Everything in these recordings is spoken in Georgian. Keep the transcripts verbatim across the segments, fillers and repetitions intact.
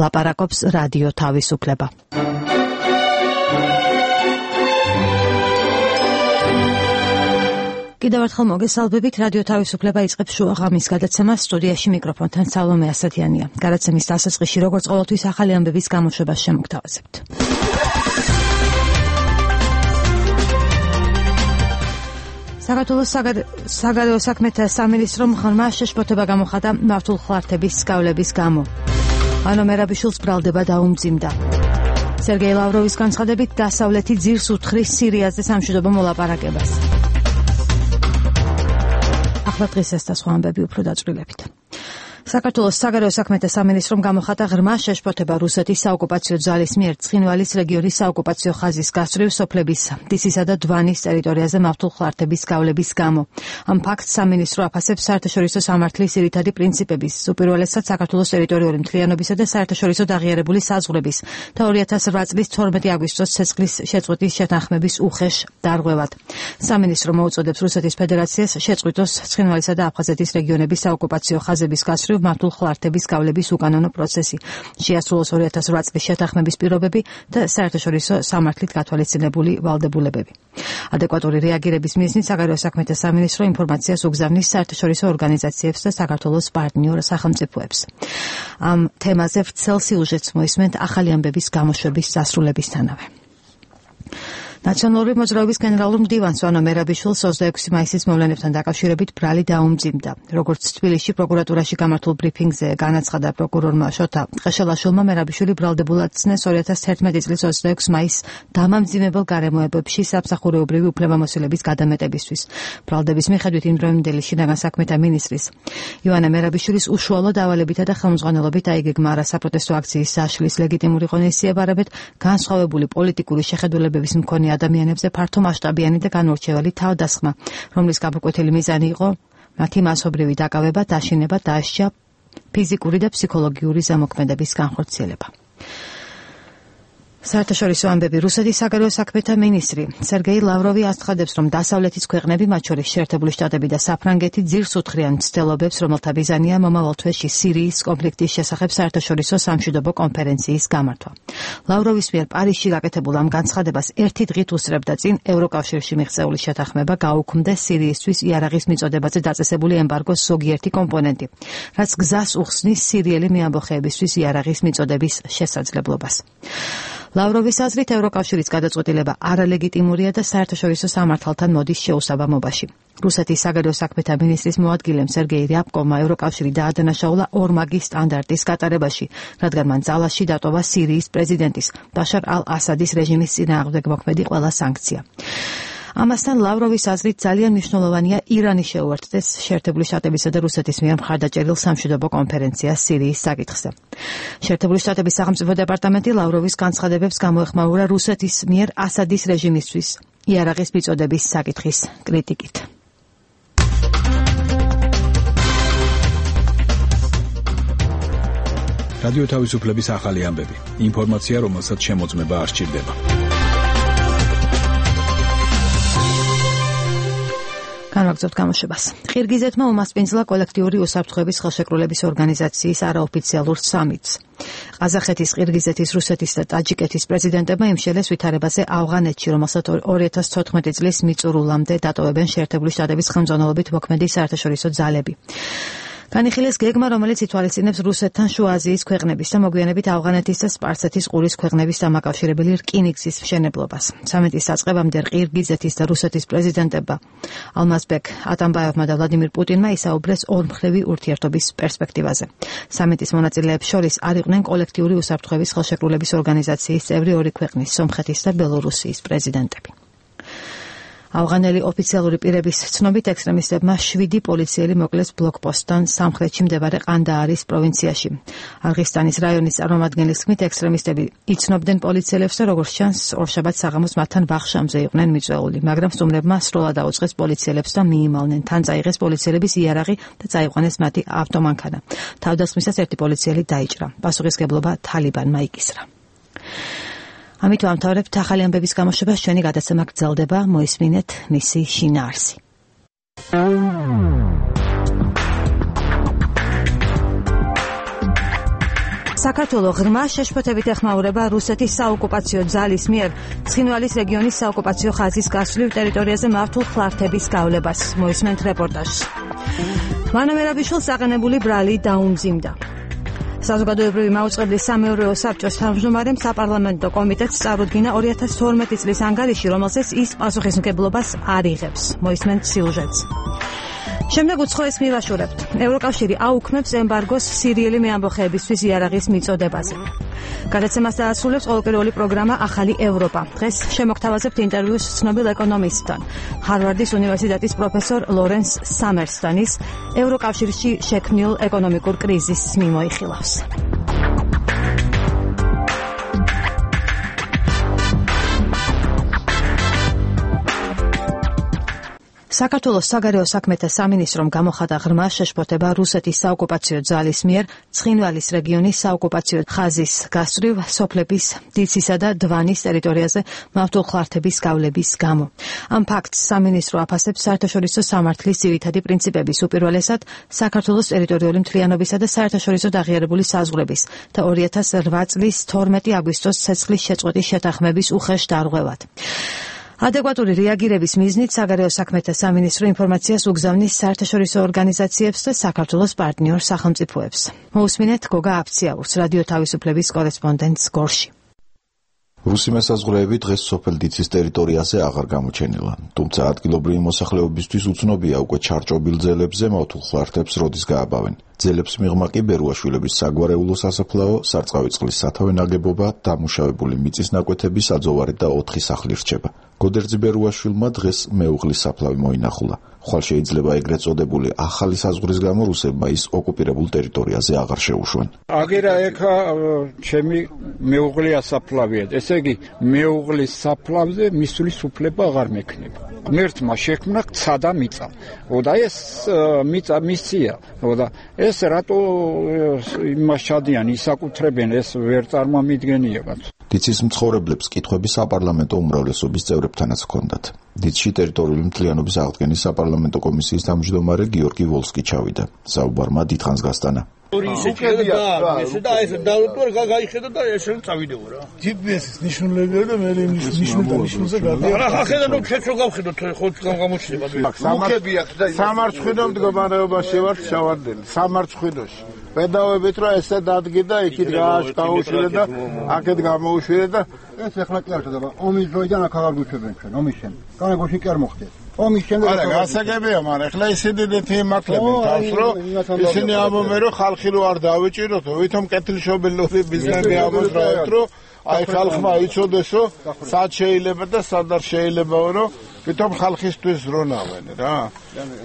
ლაპარაკობს რადიო თავისუფლება. კიდევ ერთხელ მოგესალმებით, რადიო თავისუფლება იწყებს შუა ღამის გადაცემას. სტუდიაში მიკროფონთან სალომე ასათიანია. გადაცემის დასაწყისში როგორც ყოველთვის ახალი ამბების გამოშვებას შემოგთავაზებთ. საქართველოს საგარეო საქმეთა სამინისტრომ ღრმა შეშფოთება გამოხატა მართულ ხლართების სწავლების გამო. ანო მერაბიშვილს ბრალდება დაუმძიმდა. სერგეი ლავროვის განცხადებით დასავლეთი ძირს უთხრის სირიაზე სამშვიდობო მოლაპარაკებას. ახლა დღეს ეს და სხვა ამბები უფრო დაწვრილებით. საქართველოს საგარეო საქმეთა სამინისტრომ გამოხატა ღრმა შეშფოთება რუსეთის საოკუპაციო ძალის მიერ ცხინვალის რეგიონის საოკუპაციო ხაზის გასწვრივ სოფლების დისისა და დვანის ტერიტორიაზე მართულ ხლართების სწავლების გამო. ამ ფაქტს სამინისტრო აფასებს საერთაშორისო სამართლის ძირითადი პრინციპების, უპირველესად საქართველოს ტერიტორიული მთლიანობისა და საერთაშორისო დაღიარებული საზღვრების და ორი ათას რვა წლის თორმეტი აგვისტოს ცეცხლის შეწყვეტის შეთანხმების უხეშ დარღვევად. სამინისტრო მოუწოდებს რუსეთის ფედერაციას შეწყვიტოს ცხინვალისა და აფხაზეთის რეგიონების საოკუპაციო ხაზების გასწვრივ მართულ ხლართების სწავლების უკანონო პროცესი, შეასრულოს ორი ათას რვა წლის შეთანხმების პირობები და საერთაშორისო სამართლით გათვალისწინებული ვალდებულებები. ადეკვატური რეაგირების მიზნით საგარეო საქმეთა სამინისტრო ინფორმაციას უგზავნის საერთაშორისო ორგანიზაციებს და საქართველოს პარტნიორ სახელმწიფოებს. ამ თემაზე ვრცელ სიუჟეტს მოისმენთ ახალი ამბების გამოშვების დასრულებისთანავე. ნაციონალური მოძრაობის გენერალურ მდივანს ანო მერაბიშვილს ოცდაექვსი მაისის მოვლენებთან დაკავშირებით ბრალი დაუმძიმდა. როგორც თბილისში პროკურატურაში გამართულ ბრიფინგზე განაცხადა პროკურორმა შოთა ყეშელაშვილმა, მერაბიშვილი ბრალდებულად ცნეს ორი ათას თერთმეტი წლის ოცდაექვსი მაისს დამამძიმებელ გარემოებებში სამსახურეობრივი უფლებამოსილების გადამეტებისთვის. ბრალდების მიხედვით იმდროინდელი შინაგან საქმეთა მინისტრის ივანე მერაბიშვილის უშუალო დავალებითა და ხელმძღვანელობით აიგეგმა არასაპროტესტო აქციის საშლის ლეგიტიმური ღონისძიება, არამედ განსხვავებული პოლიტიკური შეხედულებების მქონე ადამიანებზე ფართო მასშტაბიანი და განურჩეველი თავდასხმა, რომლის გაბრკვეთილი მიზანი იყო მათი მასობრივი დაკავება, დაშინება, დასჯა, ფიზიკური და ფსიქოლოგიური ზემოქმედების განხორციელება. საერთაშორისო ამბები. რუსეთის საგარეო საქმეთა მინისტრი სერგეი ლავროვი აცხადებს, რომ დასავლეთის ქვეყნები, მათ შორის შეერთებული შტატები და საფრანგეთი, ძირს უთხრიან მცდელობებს, რომელთა მიზანია მომავალ თვეში სირიის კონფლიქტის შესახებ საერთაშორისო სამშვიდობო კონფერენციის გამართვა. ლავროვის მიერ პარიზში გაკეთებულ ამ განცხადებას ერთი დღით უსწრებდა წინ ევროკავშირში მიღწეული შეთანხმება გაუქმდეს სირიისთვის იარაღის მიწოდებაზე დაწესებული ემბარგოს ზოგიერთი კომპონენტი, რაც გზას უხსნის სირიელი მეამბოხეებისთვის იარაღის მიწოდების შესაძლებლობას. ლავროვის აზრით ევროკავშირის გადაწყვეტილება არალეგიტიმურია და საერთაშორისო სამართალთან მოდის შეუსაბამობაში. რუსეთის საგარეო საქმეთა მინისტრის მოადგილემ სერგეი რიაბკოვმა ევროკავშირი დაადანაშაულა ორმაგი სტანდარტის გატარებაში, რადგან მან ძალაში დატოვა სირიის პრეზიდენტის ბაშარ ალ-ასადის რეჟიმის წინააღმდეგ მოქმედი ყველა სანქცია. ამასთან ლავროვის აზრით ძალიან მნიშვნელოვანია ირანი შეუერთდეს შეერთებული შტატებისა და რუსეთის მიერ მხარდაჭერილ სამშვიდობო კონფერენციას სირიის საკითხზე. შეერთებული შტატების სახელმწიფო დეპარტამენტი ლავროვის განცხადებებს გამოეხმაურა რუსეთის მიერ ასადის რეჟიმისთვის იარაღის მიწოდების საკითხის კრიტიკით. რადიო თავისუფლების ახალი ამბები. ინფორმაცია, რომელსაც შემოწმება არ სჭირდება. განვაგრძობთ გამოშვებას. ყირგიზეთმა უმასპინძლა კოლექტიური უსაფრთხოების ხელშეკრულების ორგანიზაციის არაოფიციალურ სამიტს. ყაზახეთის, ყირგიზეთის, რუსეთის და ტაჯიკეთის პრეზიდენტებმა იმშელეს ვითარებაზე ავღანეთში, რომელსაც ორი ათას თოთხმეტი წლის მიწურულამდე დატოვებენ შეერთებული შტატების ხელმძღვანელობით მოქმედი საერთაშორისო ძალები. განიხილეს გეგმა, რომელიც ითვალისწინებს რუსეთთან შუა აზიის ქვეყნების და მოგვიანებით ავღანეთის და სპარსეთის ყურის ქვეყნების დამაკავშირებელი რკინიგზის მშენებლობას. სამიტის დაწყებამდე ყირგიზეთის და რუსეთის პრეზიდენტებმა ალმაზბეკ ატამბაევმა და ვლადიმირ პუტინმა ისაუბრეს ორმხრივი ურთიერთობის პერსპექტივაზე. სამიტის მონაწილეებს შორის არ იყვნენ კოლექტიური უსაფრთხოების ხელშეკრულების ორგანიზაციის წევრი ორი ქვეყნის, სომხეთის და ბელორუსიის პრეზიდენტები. ავღანელი ოფიციალური პირების ცნობით ექსტრემისტებმა შვიდი პოლიციელი მოკლეს ბლოკპოსტთან სამხრეთში მდებარე ყანდაარის პროვინციაში. არღისტანის რაიონის წარმომადგენლის თქმით, ექსტრემისტები იცნობდნენ პოლიციელებს და როგორც ჩანს, ორშაბათს საღამოს მათთან ბახშამზე იყვნენ მიწვეული, მაგრამ სტუმრებმა სრულად აუწყეს პოლიციელებს და მიიმალნენ. თან წაიღეს პოლიციელების იარაღი და წაიყვანეს მათი ავტომანქანა. თავდასხმისას ერთი პოლიციელი დაიჭრა. პასუხისგებლობა თალიბანმა იკისრა. ამით ვამთავრებთ ახალი ამბების გამოშვებას. ჩვენი გადაცემა გრძელდება, მოისმინეთ მისი შინაარსი. საქართველოს ღრმა შეშფოთებით ეხმაურება რუსეთის საოკუპაციო ძალის მიერ ცხინვალის რეგიონის საოკუპაციო ხაზის გასვლილ ტერიტორიაზე მართულ ხლართების გავლებას. მოისმენთ რეპორტაჟს. ვანა მერაბიშვილს აყენებული ბრალი დაუმძიმდა. საზოგადოებრივი მაუწყებლის სამეურვეო საბჭოს თავმჯდომარემ საპარლამენტო კომიტეტს წარუდგინა ორი ათას თორმეტი წლის ანგარიში, რომელზეც ის პასუხისმგებლობას არ იღებს. მოისმენთ სიუჟეტს. შემდეგ უცხოეს მივაშურებთ. ევროკავშირი აუქმებს ემბარგოს სირიელი მეამბოხეებისთვის იარაღის მიწოდებაზე. გადაცემას დაასრულებს ყოველკვირეული პროგრამა ახალი ევროპა. დღეს შემოგთავაზებთ ინტერვიუს ცნობილ ეკონომისტთან, ჰარვარდის უნივერსიტეტის პროფესორ ლორენს სამერსთან. ის ევროკავშირში შექმნილ ეკონომიკურ კრიზისს მიმოიხილავს. საქართველოს საგარეო საქმეთა სამინისტრომ გამოხატა ღრმა შეშფოთება რუსეთის საოკუპაციო ძალის მიერ ცხინვალის რეგიონის საოკუპაციო ხაზის გასწვრივ სოფლების დიცისა და დვანის ტერიტორიაზე მართულ ხლართების გავლების გამო. ამ ფაქტს სამინისტრო აფასებს საერთაშორისო სამართლის ძირითადი პრინციპების, უპირველესად საქართველოს ტერიტორიული მთლიანობისა და საერთაშორისო აღიარებული საზღვრების და ორი ათას რვა წლის თორმეტი აგვისტოს ცეცხლის შეწყვეტის შეთანხმების უხეშ დარღვევად. ადეკვატური რეაგირების მიზნით საგარეო საქმეთა სამინისტრო ინფორმაციას უგზავნის საერთაშორისო ორგანიზაციებს და საქართველოს პარტნიორ სახელმწიფოებს. მოусმინეთ გოგა აფციაურს, რადიო თავისუფლების კორესპონდენტს გორში. რუსი მესაზღვრეები დღეს სოფელ დიცის ტერიტორიაზე აღარ გამოჩენილა, თუმცა ადგილობრივი მოსახლეობისთვის უცნობია უკვე ჩარჭობილ ძელებზე მავთულ ხლართებს როდის გააბავენ. ძელებს მიღმა კი ბერუაშვილების საგვარეულო სასაფლაო, სარწყავი წყლის სათავე ნაგებობა, დამუშავებული მიწის ნაკვეთები, საძოვარი და ოთხი სახლი რჩება. გოდერძი ბერუაშვილმა დღეს მეუღლის საფლავი მოინახულა. ხვალ შეიძლება ეგრეთ წოდებული ახალი საზღვრის გამო რუსებმა ის ოკუპირებულ ტერიტორიაზე აღარ შეუშვენ. აგერა ეხა ჩემი მეუღლია საფლავია. ესე იგი მეუღლის საფლავზე მისვლის უფლება აღარ მექნება. ღმერთმა შექმნა ცა და მიწა. და ეს მიწა მისია. და ეს რატო იმას ჩადიან, ისაკუთრებენ, ეს ვერ წარმომიდგენიებათ. დიცის მცხოვრებლებს კითხვები საპარლამენტო უმრავლესობის წევრებთანაც ჰქონდათ. დიცში ტერიტორიული მთლიანობის აღდგენის საპარლამენტო კომისიის თავმჯდომარე გიორგი ვოლსკი ჩავიდა. საუბარმა დიდხანს გასტანა. უკებია და ესე და ეს დავუტვარ გაიხედა და ესე წავიდეო რა. ჯი პი ეს-ის ნიშნულებია და მე ნიშნულთა ნიშნულზე გადა. რა ხედა რომ შეჩო გავხედოთ ხო გამოჩნდება. უკებია და სამარცხვინო მდგომარეობაში ვარ შავარდელი. სამარცხვინოში. პედავებით რომ ესე დადგიდა იქით გააშკაუშვირე და აქეთ გამოუშვირე და ეს ახლა კი არ ხდება. ომის დროიდან აქ აღარ გვიჩვენებენ ჩვენ ომის შემდეგ. განაგოში კი არ მოხდეს. ომის შემდეგ არა გასაგებია, მაგრამ ახლა ისინი დეთი მართლებენ თავს რომ ისინი ამბობენ რომ ხალხი რო არ დავიჭიროთ, ვითომ კეთილშობილური ბიზნესი ამოძრავეთ რომ აი ხალხმა იცოდეს რომ სად შეიძლება და სად არ შეიძლება რომ ვითომ ხალხისთვის ზრუნავენ რა.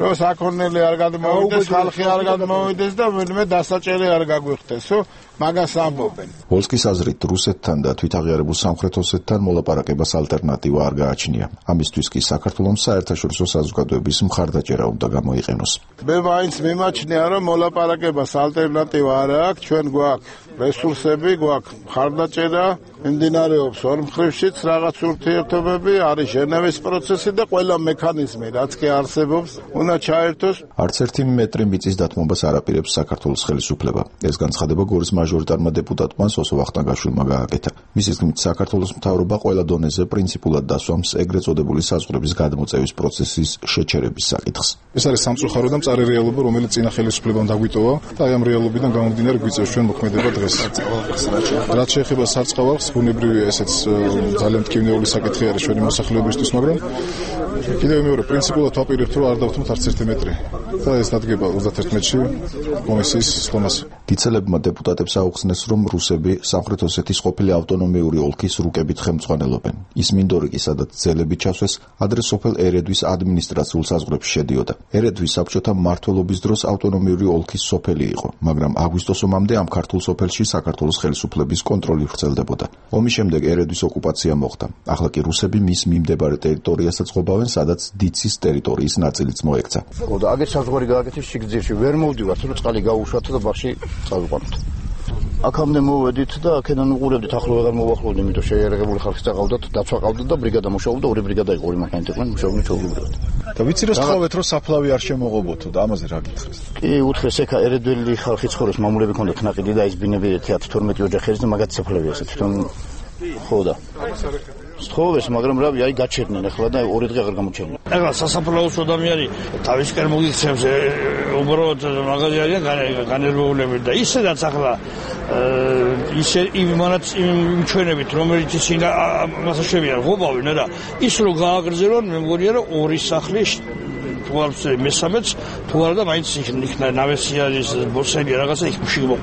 რომ საქონელი არ გადმოვიდეს, ხალხი არ გადმოვიდეს და მე დასაჭერი არ გაგვიხდეს, რომ მაგას ამბობენ. ვოლსკის აზრით რუსეთთან და თვითაღიარებულ სამხრეთ ოსეთთან მოლაპარაკებას ალტერნატივა არ გააჩნია. ამისთვის კი საქართველოს საერთაშორისო საზოგადოების მხარდაჭერა უნდა გამოიყენოს. მე მაინც მიმაჩნია რომ მოლაპარაკებას ალტერნატივა არ აქვს, ჩვენ გვაქვს რესურსები, გვაქვს მხარდაჭერა, მიმდინარეობს ორ მხრივშიც რაღაც ურთიერთობები, არის ჟენევის პროცესი და ყველა მექანიზმი, რაც კი არსებობს, უნდა ჩაერთოს. არც ერთი მეტრი მიწის დათმობას არ აპირებს საქართველოს ხელისუფლება. ეს განცხადება გორის მაჟორიტარმა დეპუტატმა სოსო ვახტანგაშვილმა გააკეთა. მის თქმით, საქართველოს მთავრობა ყველა დონეზე პრინციპულად დასვამს ეგრეთ წოდებული საზღვრების გადმოწევის პროცესის შეჩერების საკითხს. ეს არის სამწუხარო და მწარე რეალობა, რომელიც წინა ხელისუფლებამ დაგვიტოვა და აი ამ რეალობიდან გამომდინარე გვიწევს ჩვენ მოქმედება დღეს. რაც შეეხება სარწყავალს, ბუნებრივია ესეც ძალიან მტკივნეული საკითხი არის ჩვენი მოსახლეობისთვის, მაგრამ კიდევ მეორე პრინციპულად ვაპირებთ რომ არ დავთმოთ არც ერთი მეტრი და ეს დადგება ოცდაერთი მეტრში კომისიის სხდომაზე. დიცელებმა დეპუტატებს აუხსნეს რომ რუსები სამხრეთ ოსეთის ყოფილი ავტონომიური ოლქის რუკებით ხელმძღვანელობენ. ის მინდორი კი სადაც ძელები ჩასვეს ადრე სოფელ ერედვის ადმინისტრაციულ საზღვრებში შედიოდა. ერედვის საბჭოთა მმართველობის დროს ავტონომიური ოლქის სოფელი იყო, მაგრამ აგვისტოს ომამდე ამ ქართულ სოფელში საქართველოს ხელისუფლების კონტროლი ვრცელდებოდა. ომის შემდეგ ერედვის ოკუპაცია მოხდა. ახლა კი რუსები მის მიმდებარე ტერიტორიასაც ყოფავენ, სადაც დიცის ტერიტორიის ნაწილიც მოექცა. და აგერ საზღვარი გააკეთეს სიგრძეში, ვერ მოვდივართ, რომ წყალი გაუშვათ და ბაღში წავიყვანოთ. აქამდე მოვედით და აქედან უყურებდით, ახლა ვეღარ მოვახლოვდი, იმიტომ შეიარაღებული ხალხი წაყავდათ, დაცვა ყავდათ და ბრიგადა მუშაობდა, ორი ბრიგადა იყო, ორი მანქანით იყვნენ, მუშაობდნენ ჩვეულებრივად. და ვიცი რა სწავლეთ, რომ საფლავი არ შემოღობოთო და ამაზე რა გითხრეს? კი, უთხრეს ეხა ერედველი ხალხი ცხოვრობს, მამულები ქონდათ ნაყიდი და ის ბინები თეატრი თორმეტი ოჯახის და მაგათ საფლავი ასე თვითონ ხო და სწხოვეს, მაგრამ რავი, აი გაჩერდნენ ახლა და ორი დღე აღარ გამოჩერდნენ. ახლა სასაფლაოს ადამიანი თავისკენ მოგიქცევს, უბრალოდ მაგარი არიან განერვებულები და ისედაც ახლა ისე იმანაც იმ ჩვენებით, რომელიც ისინი მასაშევიან ღობავენ და ის რო გააგრძელონ, მე მგონია რომ ორი სახლი თვალს მესამეც თუ არა და მაინც იქნა ნავესიარის ბორსელი რაღაცა იქ მშიგმო.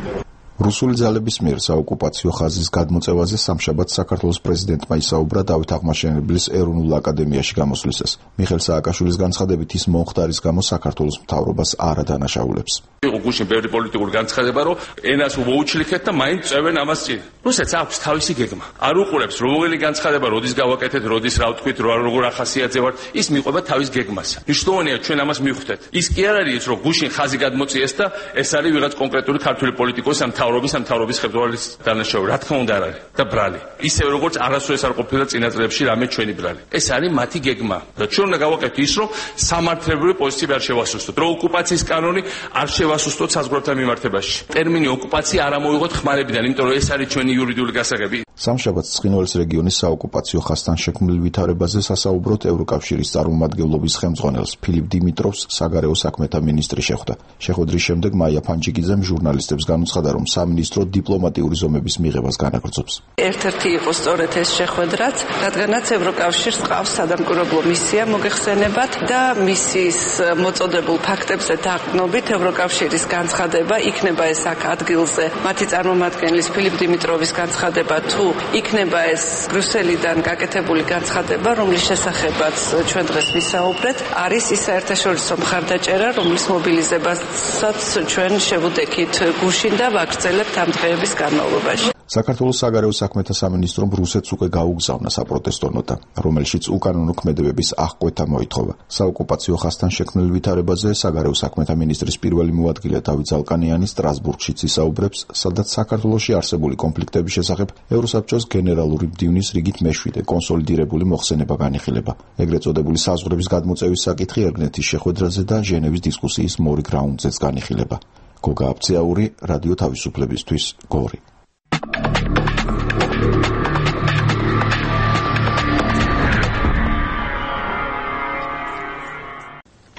რუსული ძალების მიერ საოკუპაციო ხაზის გადმოწევაზე სამშაბათს საქართველოს პრეზიდენტმა ისაუბრა დავით აღმაშენებლის ეროვნულ აკადემიაში გამოსვლისას. მიხეილ სააკაშვილის განცხადებით ის მომხდარის გამო საქართველოს მთავრობას არ ადანაშაულებს. იყო გუშინ ბევრი პოლიტიკური განცხადება, რომ ენას მოუჩლიქეთ და მაინც წევენ ამას წინ. რუსეთს აქვს თავისი გეგმა. არ უყურებს რომელი განცხადება, როდის გავაკეთეთ, როდის რა ვთქვით, როგორ ახასიათზე ვართ, ის მიყვება თავის გეგმას. მნიშვნელოვანია ჩვენ ამას მივხვდეთ. ის კი არ არის, რომ გუშინ ხაზი გადმოწიეს და ეს არის ვიღაც კონკრეტული ქართული პოლიტიკოსი ამ მთავრობის ამ მთავრობის ხელმძღვანელის დანაშაული. რა თქმა უნდა არ არის და ბრალი. ისევე როგორც არასოდეს არ ყოფილა წინა წლებში რამე ჩვენი ბრალი. ეს არის მათი გეგმა. და ჩვენ უნდა გავაკეთოთ ის, რომ სამართლებრივი პოზიციები არ შევასუსტოთ. რომ ოკუპაციის კანონი არ შევასუსტოთ საზღვრებთან მიმართებაში. ტერმინი ოკუპაცია არ ამოვიღოთ ხმარებიდან, იმიტომ რომ ეს არის ჩვენი იურიდიული გასაგები. სამშაბათს ცხინვალის რეგიონის საოკუპაციო ხაზთან შექმნილ ვითარებაზე სასაუბროდ ევროკავშირის წარმომადგენლობის ხელმძღვანელს ფილიპ დიმიტროვს საგარეო საქმეთა მინისტრი შეხვდა. შეხვედრის შემდეგ მაია ფანჯიკიძემ ჟურნალისტებს განუცხადა, რომ სამინისტრო დიპლომატიური ზომების მიღებას განაგრძობს. ერთ-ერთი იყო სწორედ ეს შეხვედრაც, რადგანაც ევროკავშირს ყავს სადამკვირვებლო მისია მოგეხსენებათ და მისიის მოწოდებულ ფაქტებზე დაყრდნობით ევროკავშირის განცხადება იქნება ეს აქ ადგილზე. მათი წარმომადგენლის ფილიპ დიმიტროვის განცხადება თუ იქნება ეს ბრიუსელიდან გაკეთებული განცხადება, რომლის შესახებაც ჩვენ დღეს ვისაუბრეთ, არის ის საერთაშორისო მხარდაჭერა, რომლის მობილიზებასაც ჩვენ შევუდექით გუშინ და ვაგრძელებთ ამ დღეების განმავლობაში. საქართველოს საგარეო საქმეთა სამინისტრომ რუსეთს უკვე გაუგზავნა საპროტესტო ნოტა, რომელშიც უკანონო ქმედებების აღკვეთა მოითხოვა. საოკუპაციო ხაზთან შექმნილ ვითარებაზე საგარეო საქმეთა მინისტრის პირველი მოადგილე დავით ზალკანიანი სტრასბურგშიც ისაუბრებს, სადაც საქართველოში არსებული კონფლიქტების შესახებ ევროსაბჭოს გენერალური მდივნის რიგით მეშვიდე კონსოლიდირებული მოხსენება განიხილება. ეგრეთ წოდებული საზღვრების გადმოწევის საკითხი ერგნეთის შეხვედრაზე და ჟენევის დისკუსიის მორიგ რაუნდზეც განიხილება. გოგა აბციაური, რადიო თავისუფლებისთვის, გორი.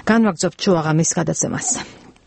განვაგრძობთ შუაღამის გადაცემას.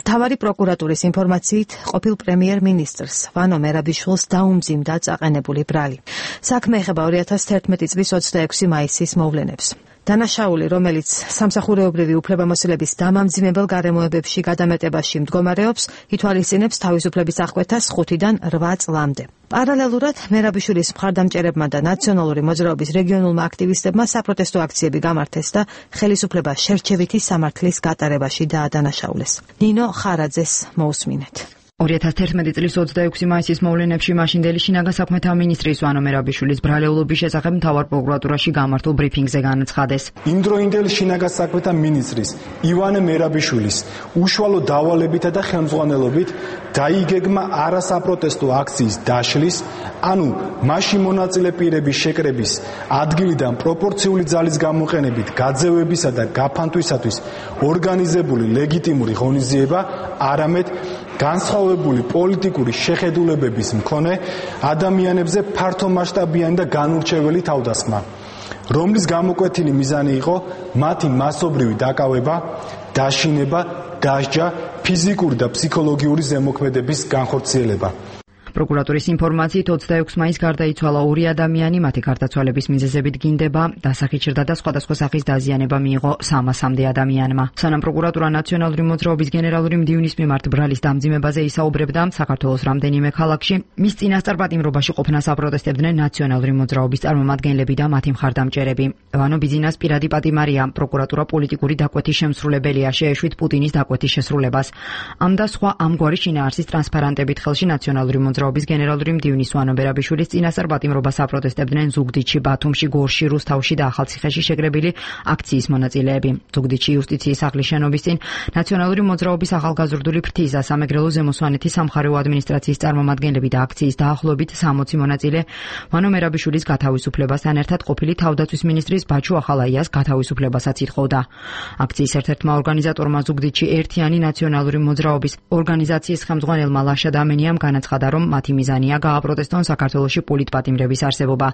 მთავარი პროკურატურის ინფორმაციით, ყოფილ პრემიერ-მინისტრს ვანო მერაბიშვილს დაუმძიმდა წაყენებული ბრალი. საქმე ეხება ორი ათას თერთმეტი წლის ოცდაექვსი მაისის მოვლენებს. დანაშაული, რომელიც სამსახურეობრივი უფლებამოსილების დამამძიმებელ გარემოებებში გადამეტებაში მდგომარეობს, ითვალისწინებს თავისუფლების აღკვეთას ხუთიდან რვა წლამდე. პარალელურად, მერაბიშვილის მხარდამჭერებმა და ნაციონალური მოძრაობის რეგიონულმა აქტივისტებმა საპროტესტო აქციები გამართეს და ხელისუფლება შერჩევითი სამართლის გატარებაში დაადანაშაულეს. ნინო ხარაძეს მოусმინეთ. ორი ათას თერთმეტი წლის ოცდაექვსი მაისის მოვლენებში მაშინდელი შინაგან საქმეთა მინისტრის ვანო მერაბიშვილის ბრალეულობის შესახებ მთავარ პროკურატურაში გამართულ ბრიფინგზე განაცხადეს. იმდროინდელი შინაგან საქმეთა მინისტრის ივანე მერაბიშვილის უშუალო დავალებითა და ხელმძღვანელობით დაიგეგმა არასაპროტესტო აქციის დაშლის, ანუ მასში მონაწილე პირების შეკრების ადგილიდან პროპორციული ძალის გამოყენებით გაძევებისა და გაფანტვისათვის ორგანიზებული ლეგიტიმური ღონისძიება, არამედ განსხვავებული პოლიტიკური შეხედულებების მქონე ადამიანებზე ფართომასშტაბიანი და განურჩეველი თავდასხმა, რომლის გამოკვეთილი მიზანი იყო მათი მასობრივი დაკავება, დაშინება, დასჯა, ფიზიკური და ფსიქოლოგიური ზემოქმედების განხორციელება. პროკურატურის ინფორმაციით ოცდაექვსი მაისს გარდაიცვალა ორი ადამიანი, მათი გარდაცვალების მიზეზებით გინდება, დასახიჩრდა და სხვადასხვა სახის დაზიანება მიიღო სამასამდე ადამიანმა. სანამ პროკურატურა ნაციონალური მოძრაობის გენერალური მდივნის მიმართ ბრალის დამძიმებაზე ისაუბრებდა, საქართველოს რამდენიმე ქალაქში მის წინასწარ პატიმრობაში ყოფნას აპროტესტებდნენ ნაციონალური მოძრაობის წარმომადგენლები და მათი მხარდამჭერები. ვანო ბიძინას პირადი პატიმარია, პროკურატურა პოლიტიკური დაკვეთის შემსრულებელია, შეეშვით პუტინის დაკვეთის შესრულებას. ამ და სხვა ამგვარი შინაარსის ტრანსპარანტებით ხელში ნაციონალური მოძრაობის გენერალური მდივნის ვანო მერაბიშვილის წინასწარ პატიმრობას აპროტესტებდნენ ზუგდიდში, ბათუმში, გორში, რუსთავში და ახალციხეში შეკრებილი აქციის მონაწილეები. ზუგდიდში იუსტიციის სახლის შენობის წინ ნაციონალური მოძრაობის ახალგაზრდული ფრთისა, სამეგრელო ზემოსვანეთის სამხარეო ადმინისტრაციის წარმომადგენლები და აქციის დაახლოებით სამოცი მონაწილე ვანო მერაბიშვილის გათავისუფლებასთან ერთად ყოფილი თავდაცვის მინისტრის ბაჩუ ახალაიას გათავისუფლებასაც ითხოვდა. აქციის ერთ-ერთმა ორგანიზატორმა ზუგდიდში ერთიანი ნაციონალური მოძრაობის ორგანიზაციის ხელმძღვანელმა ლაშა დამენიამ განაცხადა, რომ მათი მიზანია გააპროტესტონ საქართველოში პოლიტპატიმრების არსებობა.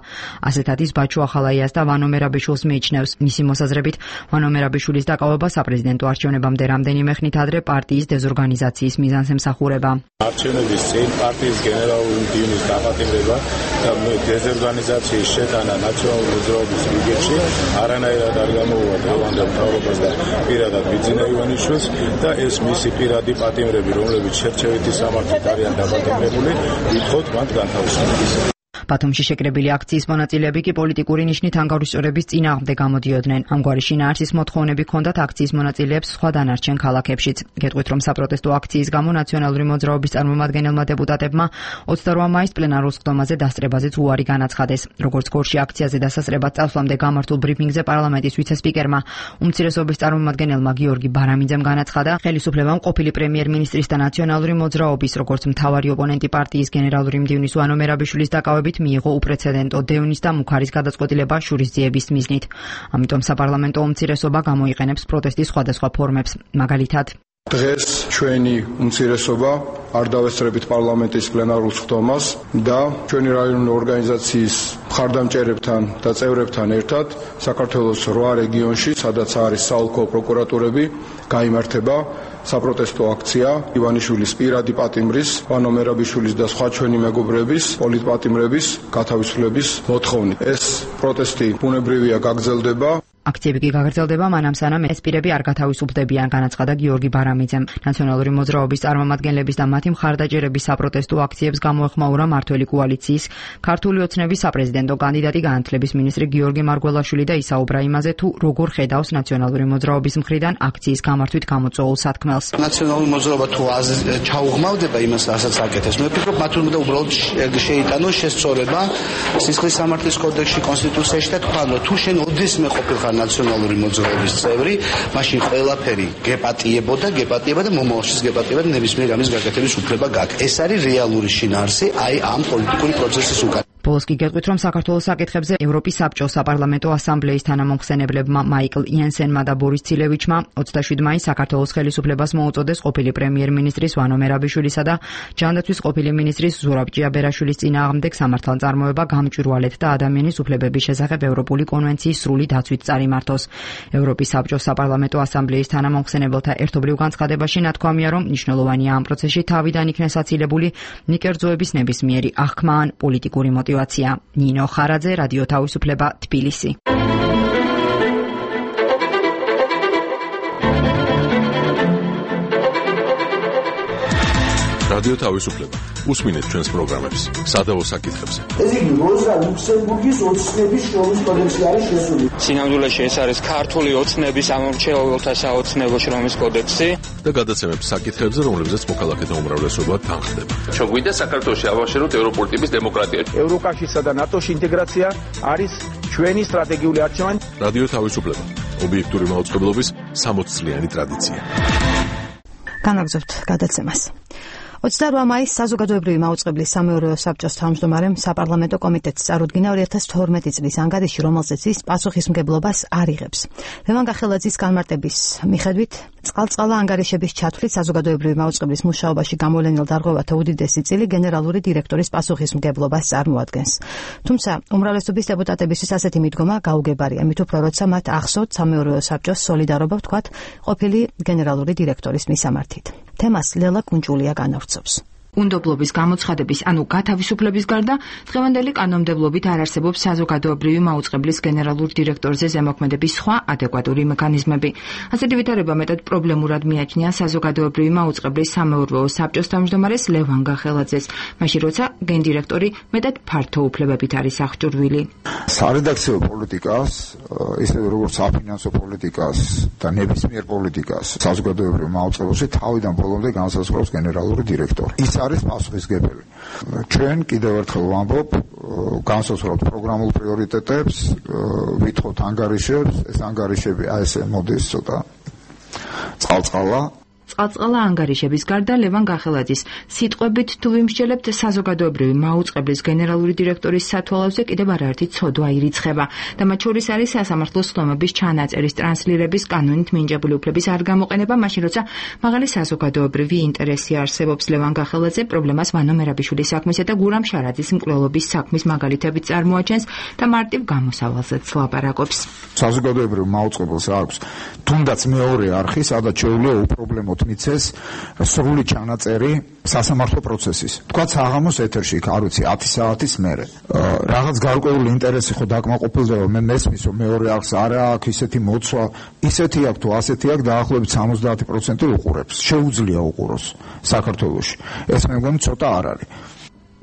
ასეთად ის ბაჩუ ახალაიას და ვანო მერაბიშვილს მიიჩნევს. მისი მოსაზრებით, ვანო მერაბიშვილის დაკავება საპრეზიდენტო არჩევნებამდე რამდენიმე ხნით ადრე პარტიის დეზორგანიზაციის მიზანს ემსახურება. არჩევნების წინ პარტიის გენერალური მდივნის დაპატიმრება და დეზორგანიზაციის შეტანა ნაციონალური მოძრაობის რიგებში არანაირად არ გამოუვა დღევანდელ მთავრობას და პირადად ბიძინა ივანიშვილს და ეს მისი პირადი პატიმრები, რომლებიც შერჩევითი სამართლით არიან დაპატიმრებული, ვითხოვთ მათ განთავისუფლებას. ბათუმში შეკრებილი აქციის მონაწილეები კი პოლიტიკური ნიშნით ანგარიშწორების წინააღმდეგ გამოდიოდნენ. ამგვარი შინაარსის მოთხოვნები ჰქონდათ აქციის მონაწილეებს სხვა დანარჩენ ქალაქებშიც. გეტყვით, რომ საპროტესტო აქციის გამო ნაციონალური მოძრაობის წარმომადგენელმა დეპუტატებმა ოცდაოთხ მაისს პლენარულ სხდომაზე დასწრებაზეც უარი განაცხადეს. როგორც გორში აქციაზე დასასწრებად წასვლამდე გამართულ ბრიფინგზე პარლამენტის ვიცე-სპიკერმა, უმცირესობის წარმომადგენელმა გიორგი ბარამიძემ განაცხადა, ხელისუფლებამ ყოფილი პრემიერ-მინისტრის და ნაციონალური მოძრაობის, როგორც მთავარი ოპონენტი პარტიის გენერალური მდივნის ვანო მერაბიშვილის დაკავებით მიიღო უპრეცედენტო დევნის და მუქარის გადაწყვეტილება შურისძიების მიზნით. ამიტომ საპარლამენტო უმცირესობა გამოიყენებს პროტესტის სხვადასხვა ფორმებს. მაგალითად, დღეს ჩვენი უმცირესობა არ დავესწრებით პარლამენტის პლენარულ სხდომას და ჩვენი რაიონული ორგანიზაციის მხარდამჭერებთან და წევრებთან ერთად საქართველოს რვა რეგიონში, სადაც არის საოლქო პროკურატურები, გაიმართება საპროტესტო აქცია ივანიშვილის პირადი პატიმრის, ვანო მერაბიშვილის და სხვა ჩვენი მეგობრების პოლიტპატიმრების გათავისუფლების მოთხოვნით. ეს პროტესტი ბუნებრივია გაგრძელდება. აქციები კი გაგრძელდება მანამ სანამ ეს პირები არ გათავისუფლდებიან, განაცხადა გიორგი ბარამიძემ. ნაციონალური მოძრაობის წარმომადგენლების და მათი მხარდაჭერების საპროტესტო აქციებს გამოეხმაურა მართველი კოალიციის ქართული ოცნების საპრეზიდენტო კანდიდატი განათლების მინისტრი გიორგი მარგველაშვილი და ისაუბრა იმაზე, თუ როგორ ხედავს ნაციონალური მოძრაობის მხრიდან აქციის გამართვით გამოწვეულ სათქმელს. ნაციონალური მოძრაობა თუ ჩაუღმავდება იმას, რასაც აკეთებს, მე ვფიქრობ, მათ უნდა უბრალოდ შეიტანოს შესწორება სისხლის სამართლის კოდექსში, კონსტიტუციაში და თქვან, რომ თუ შენ ოდესმე ყოფილიყარ ნაციონალური მოძრაობის წევრი, მაშინ ყველაფერი გეპატიებოდა, გეპატიება და მომავალშიც გეპატიება და ნებისმიერ ამის გაკეთების უფლება გაქვს. ეს არის რეალური შინაარსი აი ამ პოლიტიკური პროცესის უკან. ბოლოს კი გეტყვით, რომ საქართველოს საკითხებზე ევროპის საბჭოს საპარლამენტო ასამბლეის თანამომხსენებლებმა მაიკლ იანსენმა და ბორის ცილევიჩმა ოცდაშვიდ მაისს საქართველოს ხელისუფლებას მოუწოდეს ყოფილი პრემიერ-მინისტრის ვანო მერაბიშვილისა და ჯანდაცვის ყოფილი მინისტრის ზურაბ ჭიაბერაშვილის წინააღმდეგ სამართალმწარმოება გამჭვირვალეთ და ადამიანის უფლებების შესახებ ევროპული კონვენციის სრული დაცვით წარიმართოს. ევროპის საბჭოს საპარლამენტო ასამბლეის თანამომხსენებელთა ერთობლივ განცხადებაში ნათქვამია, რომ მნიშვნელოვანია ამ პროცესში თავიდან იქნეს აცილებული ნიკერძოების ნებისმიერი აღქმა ან პოლიტიკური მოტივაცია. ნინო ხარაძე, რადიო თავისუფლება, თბილისი. რადიო თავისუფლება. უსმინეთ ჩვენს პროგრამებს სადავო საკითხებზე. ეს იგი როზა ლუქსემბურგის ოცნების შრომის კოდექსი არის შესული. სინამდვილეში ეს არის ქართული ოცნების ამორჩეულთა საოცნებო შრომის კოდექსი და გადაცემებს საკითხებზე, რომლებზეც მოქალაქეთა უმრავლესობა თანხდება. ჩვენ გვინდა საქართველოში ავაშენოთ ევროპული ტიპის დემოკრატია. ევროკავშირსა და ნატოში ინტეგრაცია არის ჩვენი სტრატეგიული არჩევანი. რადიო თავისუფლება. ობიექტური მაუწყებლობის სამოც წლიანი ტრადიცია. განაგზავნებთ გადაცემას. ოცდარვა მაისს საზოგადოებრივი მაუწყებლის სამეურვეო საბჭოს თავმჯდომარემ საპარლამენტო კომიტეტს წარუდგინა ორი ათას თორმეტი წლის ანგარიში, რომელზეც ის პასუხისმგებლობას არ იღებს. ლევან გახელაძის განმარტების მიხედვით, წყალწყალა ანგარიშების ჩათვლით საზოგადოებრივი მაუწყებლის მუშაობაში გამოვლენილ დარღვევათა უდიდესი წილი გენერალური დირექტორის პასუხისმგებლობას წარმოადგენს. თუმცა, უმრავლესობის დეპუტატებისთვის ასეთი მიდგომა გაუგებარია, მით უფრო როცა მათ ახსოვთ სამეურვეო საბჭოს სოლიდარობა ვთქვათ ყოფილი გენერალური დირექტორის მისამართით. თემას ლელა კუნჭულია განავრცობს. უნდობლობის გამოცხადების, ანუ გათავისუფლების გარდა, დღევანდელი კანონმდებლობით არ არსებობს საზოგადოებრივი მაუწყებლის გენერალურ დირექტორზე ზემოქმედების სხვა ადეკვატური მექანიზმები. ასეთი ვითარება მეტად პრობლემურად მიაჩნია საზოგადოებრივი მაუწყებლის სამეურვეო საბჭოს თავმჯდომარეს ლევან გახელაძეს, მაშინ როცა გენდირექტორი მეტად ფართო უფლებებით არის აღჭურვილი. სარედაქციო პოლიტიკას, ისე როგორც საფინანსო პოლიტიკას და ნებისმიერ პოლიტიკას საზოგადოებრივ მაუწყებელში თავიდან ბოლომდე განსაზღვრავს გენერალური დირექტორი. ის არის პასუხისმგებელი. ჩვენ კიდევ ერთხელ ვამბობ, განსაზღვრავთ პროგრამულ პრიორიტეტებს, ვითხოვთ ანგარიშებს, ეს ანგარიშები აი ესე მოდის ცოტა წყალწყალა. წყალწყალა ანგარიშების გარდა ლევან გახელაძის სიტყვებით თუ ვიმსჯელებთ საზოგადოებრივი მაუწყებლის გენერალური დირექტორის სათვალავზე კიდევ არაერთი ცოდვა ირიცხება და მათ შორის არის სასამართლო სხდომების ჩანაწერის ტრანსლირების კანონით მინიჭებული უფლების არ გამოყენება, მაშინ როცა მაღალი საზოგადოებრივი ინტერესი არსებობს. ლევან გახელაძე პრობლემას ვანო მერაბიშვილის საქმისა და გურამ შარაძის მკვლელობის საქმის მაგალითებით წარმოაჩენს და მარტივ გამოსავალზეც ლაპარაკობს. საზოგადოებრივ მაუწყებელს აქვს თუნდაც მეორე არხი, სადაც შეუძლია უპრობლემო მიცეს სრული ჩანაწერი სასამართლო პროცესის. თქვა საღამოს ეთერში, არ ვიცი, ათი საათის მერე. რაღაც გარკვეული ინტერესი ხო დაკმაყოფილდება, მე მესმის, რომ მეორე არხს არა აქვს ისეთი მოცვა, ისეთი აქვს თუ ასეთი აქვს, დაახლოებით სამოცდაათი პროცენტი უყურებს. შეუძლია უყუროს საქართველოში. ეს მე მგონი ცოტა არ არის.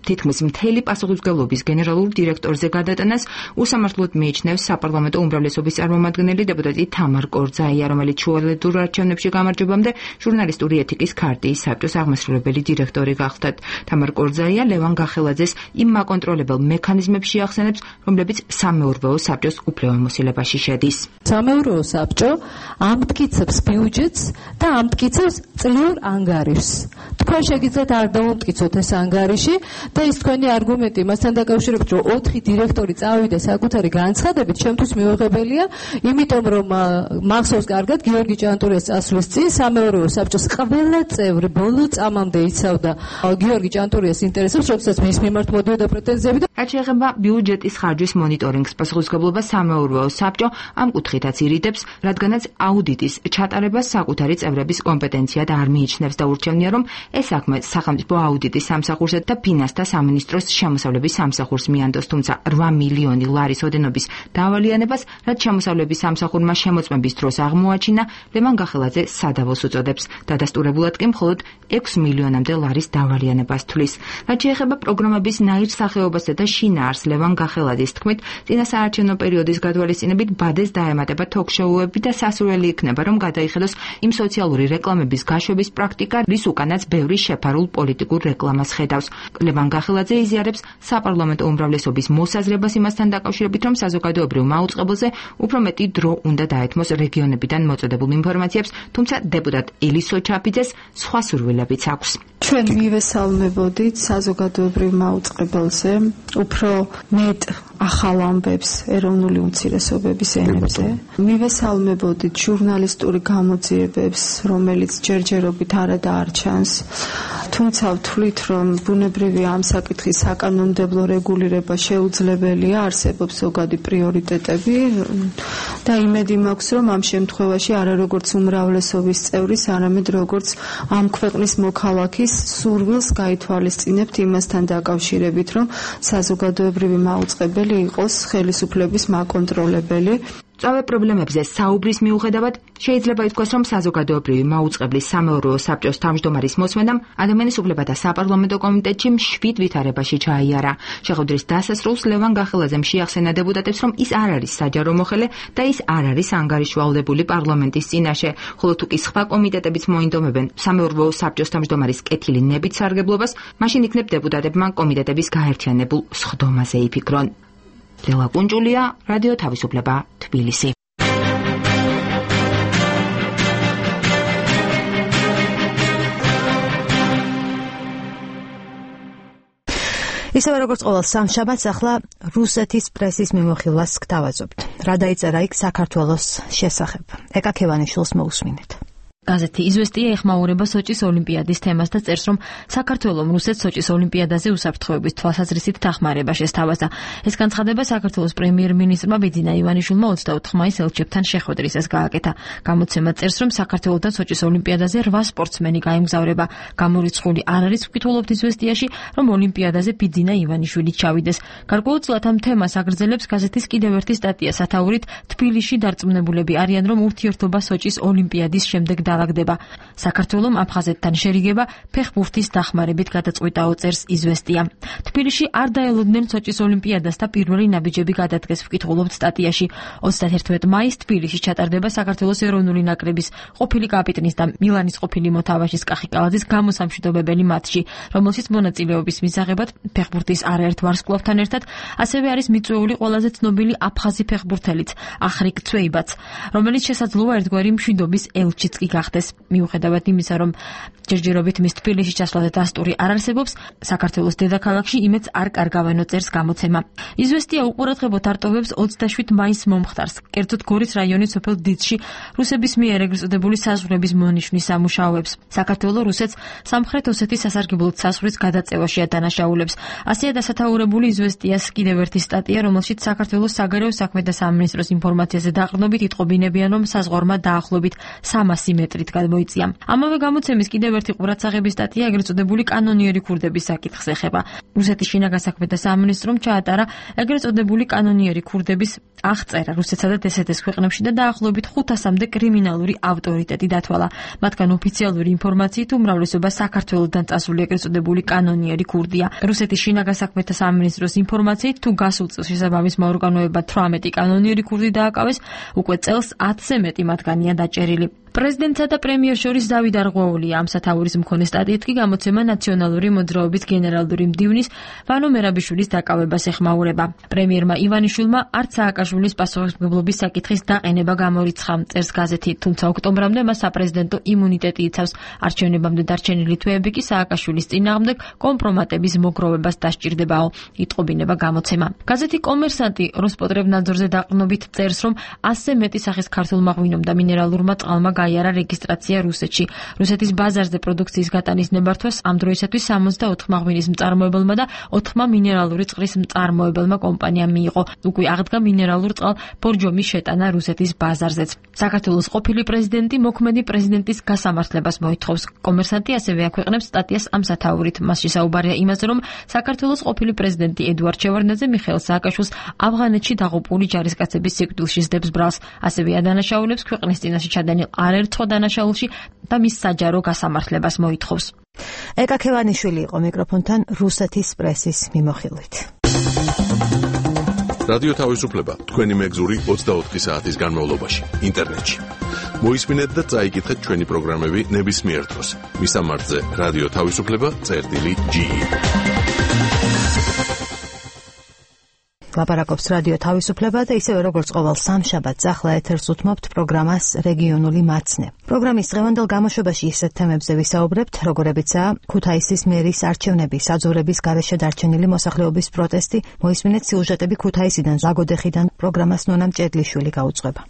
თითქმის მთელი პასუხისმგებლობის გენერალურ დირექტორზე გადატანას უსამართლოდ მიიჩნევს საპარლამენტო უმრავლესობის წარმომადგენელი დეპუტატი თამარ კორძაია, რომელიც შუალედურ არჩევნებში გამარჯვებამდე ჟურნალისტური ეთიკის ქარტიის საბჭოს აღმასრულებელი დირექტორი გახლდათ. თამარ კორძაია ლევან გახელაძეს იმ მაკონტროლებელ მექანიზმებს შეახსენებს, რომლებიც სამეურვეო საბჭოს უფლებამოსილებაში შედის. სამეურვეო საბჭო ამტკიცებს ბიუჯეტს და ამტკიცებს წლიურ ანგარიშს. თქვენ შეგიძლიათ არ დავამტკიცოთ ეს ანგარიში და ის თქვენი არგუმენტი მასთან დაკავშირებით, რომ ოთხი დირექტორი წავიდა საკუთარი განცხადებით, ჩემთვის მიუღებელია, იმიტომ რომ მახსოვს კარგად გიორგი ჭანტურიას წასვლის წინ სამეურვეო საბჭოს ყველა წევრი ბოლო წამამდე იცავდა გიორგი ჭანტურიას ინტერესებს, როდესაც მის მიმართ მოდიოდა პრეტენზიები და რაც შეეხება ბიუჯეტის ხარჯვის მონიტორინგს, პასუხისმგებლობას სამეურვეო საბჭო ამ კუთხითაც ირიდებს, რადგანაც აუდიტის ჩატარებას საკუთარი წევრების კომპეტენციად არ მიიჩნევს და ურჩევნია, რომ ეს საქმე სახელმწიფო აუდიტის სამსახურსა და ფინანსთა სამინისტროს შემოსავლების სამსახურს მიანდოს, თუმცა რვა მილიონი ლარის ოდენობის დავალიანებას, რაც შემოსავლების სამსახურმა შემოწმების დროს აღმოაჩინა, ლევან გახელაძე სადავოს უწოდებს. დადასტურებულად კი მხოლოდ ექვს მილიონამდე ლარის დავალიანებას თვლის. რაც შეეხება პროგრამების ნაირსახეობასა და შინაარს, ლევან გახელაძის თქმით, წინა საარჩევნო პერიოდის გადვალისწინებით ბადეს დაემატება თოქ-შოუები და სასურველი იქნება, რომ გადაიხედოს იმ სოციალური რეკლამების გაშვების პრაქტიკა, რის უკანაც ბევრი შეფარულ პოლიტიკურ რეკლამას ხედავს. ლევან გახელაძე იზიარებს საპარლამენტო უმრავლესობის მოსაზრებას იმასთან დაკავშირებით, რომ საზოგადოებრივ მაუწყებელზე უფრო მეტი დრო უნდა დაეთმოს რეგიონებიდან მოწოდებულ ინფორმაციებს, თუმცა დეპუტატ ელისო ჩაფიძეს სხვა სურვილებიც აქვს. ჩვენ მივესალმებოდით საზოგადოებრივ მაუწყებელზე უფრო მეტ ახალ ამბებს ეროვნული უმცირესობების ენებზე. მივესალმებოდით ჟურნალისტური გამოძიებებს, რომელიც ჯერჯერობით არადაარჩანს. თუმცა ვთვლით, რომ ბუნებრივია ამ საკითხის საკანონმდებლო რეგულირება შეუძლებელია, არსებობს ზოგადი პრიორიტეტები და იმედი მაქვს, რომ ამ შემთხვევაში არა როგორც უმრავლესობის წევრის, არამედ როგორც ამ ქვეყნის მოქალაქის სურვილს გაითვალისწინებთ იმასთან დაკავშირებით, რომ საზოგადოებრივი მაუწყებელი იყოს ხელისუფლების მაკონტროლებელი. სწავე პრობლემებზე საუბრის მიუხედავად შეიძლება ითქვას, რომ საზოგადოებრივი მაუწყებლის სამეურვეო საბჭოს თავმჯდომარის მოსმენამ ადამიანის უფლებათა საპარლამენტო კომიტეტში მშვიდ ვითარებაში ჩაიარა. შეხვედრის დასასრულს ლევან გახელაძემ შეახსენა დეპუტატებს, რომ ის არ არის საჯარო მოხელე და ის არ არის ანგარიშვალდებული პარლამენტის წინაშე, ხოლო თუ კი სხვა კომიტეტებიც მოინდომებენ სამეურვეო საბჭოს თავმჯდომარის კეთილი ნებით სარგებლობას, მაშინ იქნებ დეპუტატებმა კომიტეტების გაერთიანებულ სხდომაზე იფიქრონ. ლელა კუნჭულია, რადიო თავისუფლება, თბილისი. ისევე როგორც ყოველ სამშაბათს, ახლა რუსეთის პრესის მიმოხილვას გთავაზობთ. რა დაიწერა იქ საქართველოს შესახებ? ეკა ქევანიშვილს მოусმინეთ. გაზეთი „იზვესტია“ ეხმაურება სოჭის ოლიმპიადის თემას და წერს, რომ საქართველომ რუსეთს სოჭის ოლიმპიადაზე უსაფრთხოების თვალსაზრისით დახმარება შესთავაზა. ეს განცხადება საქართველოს პრემიერ-მინისტრმა ბიძინა ივანიშვილმა ოცდაოთხ მაისს ელჩებთან შეხვედრისას გააკეთა. გამოცემა წერს, რომ საქართველოდან სოჭის ოლიმპიადაზე რვა სპორტსმენი გაემგზავრება. გამორიცხული არ არის, ვკითხულობთ „იზვესტიაში“, რომ ოლიმპიადაზე ბიძინა ივანიშვილი ჩავიდეს. გარკვეულწილად ამ თემას აგრძელებს გაზეთის კიდევ ერთი სტატია სათაურით „თბილისში დარწმუნებულები არიან, რომ ურთიერთობა სოჭის ოლიმპიადის შემდეგ დაალაგდება. საქართველომ აფხაზეთთან შერიგება ფეხბურთის დახმარებით გადაწყვიტაო, წერს იზვესტია. თბილისში არ დაელოდნენ სოჭის ოლიმპიადას და პირველი ნაბიჯები გადადგეს, ვკითხულობთ სტატიაში. ოცდაათერთმეტ მაისს თბილისში ჩატარდება საქართველოს ეროვნული ნაკრების ყოფილი კაპიტნის და მილანის ყოფილი მოთამაშის კახიკალაძის გამოსამშვიდობებელი მატჩი, რომელშიც მონაწილეობის მისაღებად ფეხბურთის არაერთ ვარსკვლავთან ერთად ასევე არის მიწვეული ყველაზე ცნობილი აფხაზი ფეხბურთელიც ახრიკ ცვეიბაც, რომელიც შესაძლოა ერთგვარი მშვიდობის ელჩიც კი გახდეს. მიუხედავად იმისა, რომ ჯერჯერობით მის თბილისში ჩასვლაზე დასტური არ არსებობს, საქართველოს დედაქალაქში იმედს არ კარგავენო, წერს გამოცემა. იზვესტია უყურადღებოდ არტოვებს ოცდაშვიდ მაისს მომხდარს, კერძოდ გორის რაიონის სოფელ დიცში რუსების მიერ ეგრეთ წოდებული საზღვრების მონიშნის სამუშაოებს. საქართველო რუსეთს სამხრეთ ოსეთის სასარგებლოდ საზღვრის გადაწევაშია დანაშაულებს. ასეა დასათაურებული იზვესტიას კიდევ ერთი სტატია, რომელშიც საქართველოს საგარეო საქმეთა სამინისტროს ინფორმაციაზე დაყრდნობით იტყობინებიან, რომ საზღვარმა დაახლოებით სამასი მეტრით გადმოიწია. ამავე გამოცემის კიდევ ერთი ყურადსაღების სტატია ეგრეთ წოდებული კანონიერი ქურდების საკითხს ეხება. რუსეთის შინაგან საქმეთა სამინისტრომ ჩაატარა ეგრეთ წოდებული კანონიერი ქურდების აღწერა რუსეთსა და დსთ-ს ქვეყნებში და დაახლოებით ხუთასამდე კრიმინალური ავტორიტეტი დათვალა. მათგან ოფიციალური ინფორმაციით უმრავლესობა საქართველოდან წასული ეგრეთ წოდებული კანონიერი ქურდია. რუსეთის შინაგან საქმეთა სამინისტროს ინფორმაციით, თუ გასულ წელს შესაბამის მოორგანოებად თვრამეტი კანონიერი ქურდი დააკავეს, უკვე წელს ათზე მეტი მათგანია დაჭერილი. პრეზიდენტსა და პრემიერს შორის დავით არღვეულია. ამ სათაურის მქონე სტატიით კი გამოცემა ნაციონალური მოძრაობის გენერალური მდივნის ვანო მერაბიშვილის დაკავებას ეხმაურება. პრემიერმა ივანიშვილმა არც სააკაშვილის პასუხისმგებლობის საკითხის დაყენება გამორიცხა, წერს გაზეთი, თუმცა ოქტომბრამდე მას საპრეზიდენტო იმუნიტეტი იცავს. არჩევნებამდე დარჩენილი თვეები კი სააკაშვილის წინააღმდეგ კომპრომატების მოგროვებას დასჭირდებაო, იტყობინება გამოცემა. გაზეთი კომერსანტი როსპოტრებნადზორზე დაყრდნობით წერს, რომ ასზე მეტი სახის ქართულმა ღვინომ და მინერალურმა წყალმა გაიარა რეგისტრაცია რუსეთში. რუსეთის ბაზარზე პროდუქციის გატანის ნებართვას ამ დროისათვის სამოცდაოთხმა ღვინის მწარმოებელმა და ოთხმა მინერალური წყლის მწარმოებელმა კომპანიამ მიიღო. უკვე აღდგა მინერალურ წყალ ბორჯომის შეტანა რუსეთის ბაზარზეც. საქართველოს ყოფილი პრეზიდენტი მოქმედი პრეზიდენტის გასამართლებას მოითხოვს. კომერსანტი ასევე აქვეყნებს სტატიას ამ სათაურით. მასში საუბარია იმაზე, რომ საქართველოს ყოფილი პრეზიდენტი ედუარდ შევარდნაძე მიხეილ სააკაშვილს ავღანეთში დაღუპული ჯარისკაცების სიკვდილში სდებს ბრალს. ასევე ადანაშაულებს ქვეყნის წინაშე ჩადენილ არაერთხელ დანაშაულში და მის საჯარო გასამართლებას მოითხოვს. ეკა ქევანიშვილი იყო მიკროფონთან რუსეთის პრესის მიმოხილვით. რადიო თავისუფლება თქვენი მეგზური ოცდაოთხი საათის განმავლობაში ინტერნეტში. მოისმინეთ და წაიკითხეთ ჩვენი პროგრამები ნებისმიერ დროს. მისამართზე რადიო თავისუფლება წერტილი ჯი. ლაპარაკობს რადიო თავისუფლება და ისევე როგორც ყოველ სამშაბათს ახლა ეთერს უთმობთ პროგრამას რეგიონული მაცნე. პროგრამის დღევანდელ გამოშვებაში ისეთ თემებზე ვისაუბრებთ, როგორებიცაა ქუთაისის მერის არჩევნები, საძოვრების გარეშე დარჩენილი მოსახლეობის პროტესტი, მოისმინეთ სიუჟეტები ქუთაისიდან, ზაგოდეხიდან. პროგრამას ნონა მჭედლიშვილი გაუძღვება.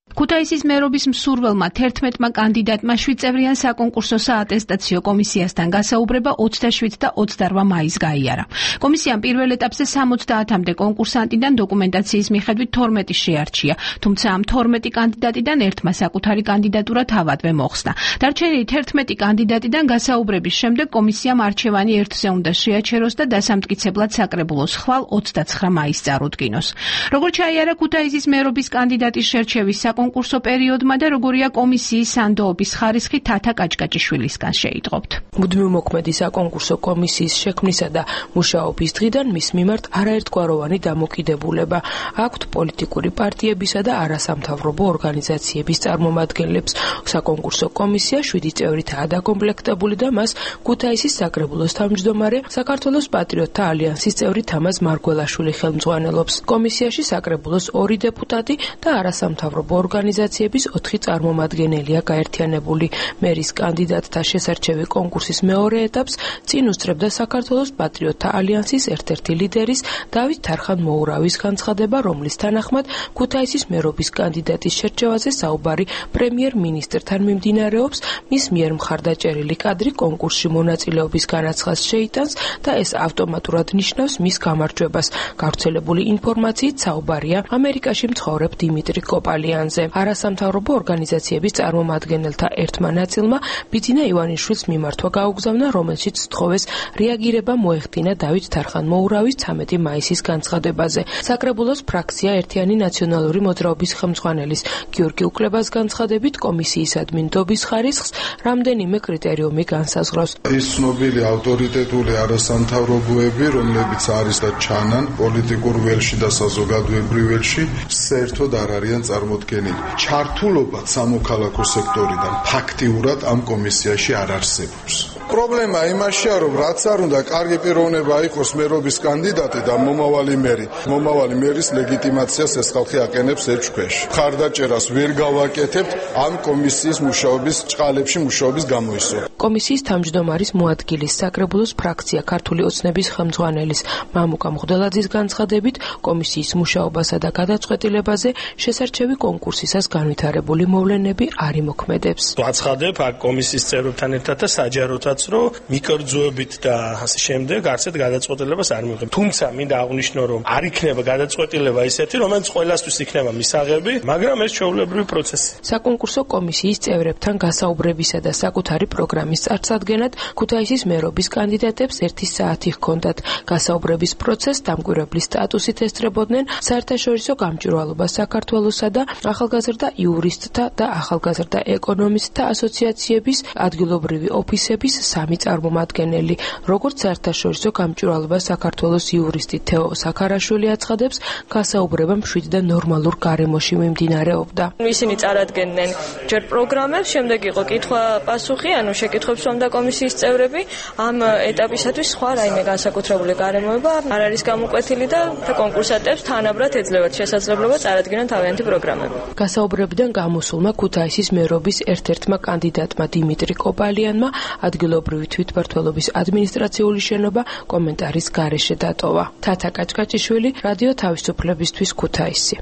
ქუთაისის მერობის მსურველმა თერთმეტმა კანდიდატმა შვიდწევრიან საკონკურსო საატესტაციო კომისიასთან გასაუბრება ოცდაშვიდ და ოცდარვა მაისს გაიარა. კომისიამ პირველ ეტაპზე სამოცდაათამდე კონკურსანტიდან დოკუმენტაციის მიხედვით თორმეტი შეარჩია, თუმცა ამ თორმეტი კანდიდატიდან ერთმა საკუთარი კანდიდატურა თავადვე მოხსნა. დარჩენილი თერთმეტი კანდიდატიდან გასაუბრების შემდეგ კომისიამ არჩევანი ერთზე უნდა შეაჩეროს და დასამტკიცებლად საკრებულოს ხვალ ოცდაცხრა მაისს წარუდგინოს. როგორც ჩაიარა ქუთაისის მერობის კანდიდატის შერჩევის საკონკურსო პერიოდმა და როგორია კომისიის სანდოობის ხარისხი თათა კაჭკაჭიშვილისგან შეიტყობთ. მუდმივ მოქმედი საკონკურსო კომისიის შექმნისა და მუშაობის დღიდან მის მიმართ არაერთგვაროვანი დამოკიდებულება აქვთ პოლიტიკური პარტიებისა და არასამთავრობო ორგანიზაციების წარმომადგენლებს. საკონკურსო კომისია შვიდი წევრითაა დაკომპლექტებული და მას ქუთაისის საკრებულოს თავმჯდომარე, საქართველოს პატრიოტთა ალიანსის წევრი თამაზ მარგველაშვილი ხელმძღვანელობს. კომისიაში საკრებულოს ორი დეპუტატი და არასამთავრობო ორგანიზაციების ოთხი წარმომადგენელია გაერთიანებული. მერის კანდიდატთა შესარჩევი კონკურსის მეორე ეტაპს წინ უსწრებდა საქართველოს პატრიოტთა ალიანსის ერთ-ერთი ლიდერის დავით თარხან-მოურავის განცხადება, რომლის თანახმად ქუთაისის მერობის კანდიდატის შერჩევაზე საუბარი პრემიერ-მინისტრთან მიმდინარეობს. მის მიერ მხარდაჭერილი კადრი კონკურსში მონაწილეობის განაცხადს შეიტანს და ეს ავტომატურად ნიშნავს მის გამარჯვებას. გავრცელებული ინფორმაციით საუბარია ამერიკაში მცხოვრებ დიმიტრი კოპალიანზე. თემაზე. არასამთავრობო ორგანიზაციების წარმომადგენელთა ერთმა ნაწილმა ბიძინა ივანიშვილს მიმართვა გაუგზავნა, რომელშიც სთხოვეს რეაგირება მოეხდინა დავით თარხან-მოურავის ცამეტი მაისის განცხადებაზე. საკრებულოს ფრაქცია ერთიანი ნაციონალური მოძრაობის ხელმძღვანელის გიორგი უკლებას განცხადებით კომისიისადმი ნდობის ხარისხს რამდენიმე კრიტერიუმი განსაზღვრავს. ის ცნობილი ავტორიტეტული არასამთავრობოები, რომლებიც არის და ჩანან პოლიტიკურ ველში და საზოგადოებრივ ველში, საერთოდ არ არიან წარმოდგენილი. ჩართულობა სამოქალაქო სექტორიდან ფაქტიურად ამ კომისიაში არ არსებობს. პრობლემა იმაშია, რომ რაც არ უნდა კარგი პიროვნება იყოს მერობის კანდიდატი და მომავალი მერი. მომავალი მერის ლეგიტიმაციას ეს ხალხი აკენებს ეჭვ ქვეშ. ხარდაჭერას ვერ გავაკეთებთ ამ კომისიის მუშაობის ჭყალებში მუშაობის გამოისო. კომისიის თავმჯდომარის მოადგილის საკრებულოს ფრაქცია ქართული ოცნების ხელმძღვანელის მამუკა მღვდელაძის განცხადებით კომისიის მუშაობასა და გადაწყვეტილებაზე შესარჩევი კონკურსისას განვითარებული მოვლენები არ იმოქმედებს. ვაცხადებ აქ კომისიის წევრებთან ერთად და საჯაროთაც რომ მიკერძოებით და ასე შემდეგ არცეთ გადაწყვეტილებას არ მიღებ. თუმცა მინდა აღვნიშნო რომ არ იქნება გადაწყვეტილება ისეთი, რომელიც ყველასთვის იქნება მისაღები, მაგრამ ეს ჩვეულებრივი პროცესი. საკონკურსო კომისიის წევრებთან გასაუბრებისა და საკუთარი პროგრამის წარსადგენად ქუთაისის მერობის კანდიდატებს ერთი საათი ჰქონდათ. გასაუბრების პროცესს დამკვირვებლის სტატუსით ესწრებოდნენ საერთაშორისო გამჭვირვალობა საქართველოსა და ახალგაზრდა იურისტთა და ახალგაზრდა ეკონომისტთა ასოციაციების ადგილობრივი ოფისების სამი წარმომადგენელი. როგორც საერთაშორისო გამჭვირვალობა საქართველოს იურისტი თეო საქარაშვილი აცხადებს, გასაუბრება მშვიდ და ნორმალურ გარემოში მიმდინარეობდა. ისინი წარადგენდნენ ჯერ პროგრამებს, შემდეგ იყო კითხვა-პასუხი, ანუ შეკითხვებს უსვამდა კომისიის წევრები. ამ ეტაპისათვის სხვა რაიმე განსაკუთრებული გარემოება არ არის გამოკვეთილი და კონკურსანტებს თანაბრად ეძლევათ შესაძლებლობა წარადგენენ თავიანთი პროგრამები. გასაუბრებიდან გამოსულმა ქუთაისის მერობის ერთ-ერთმა კანდიდატმა დიმიტრი კოპალიანმა ადგილობრივი თვითმმართველობის ადმინისტრაციული შენობა კომენტარის გარეშე დატოვა. თათა კაჭკაჭიშვილი, რადიო თავისუფლებისთვის, ქუთაისი.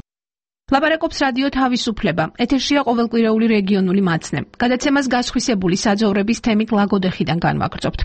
ლაპარაკობს რადიო თავისუფლება. ეთერშია ყოველკვირეული რეგიონული მაცნე. გადაცემას გასხვისებული საძოვრების თემით ლაგოდეხიდან განვაგრძობთ.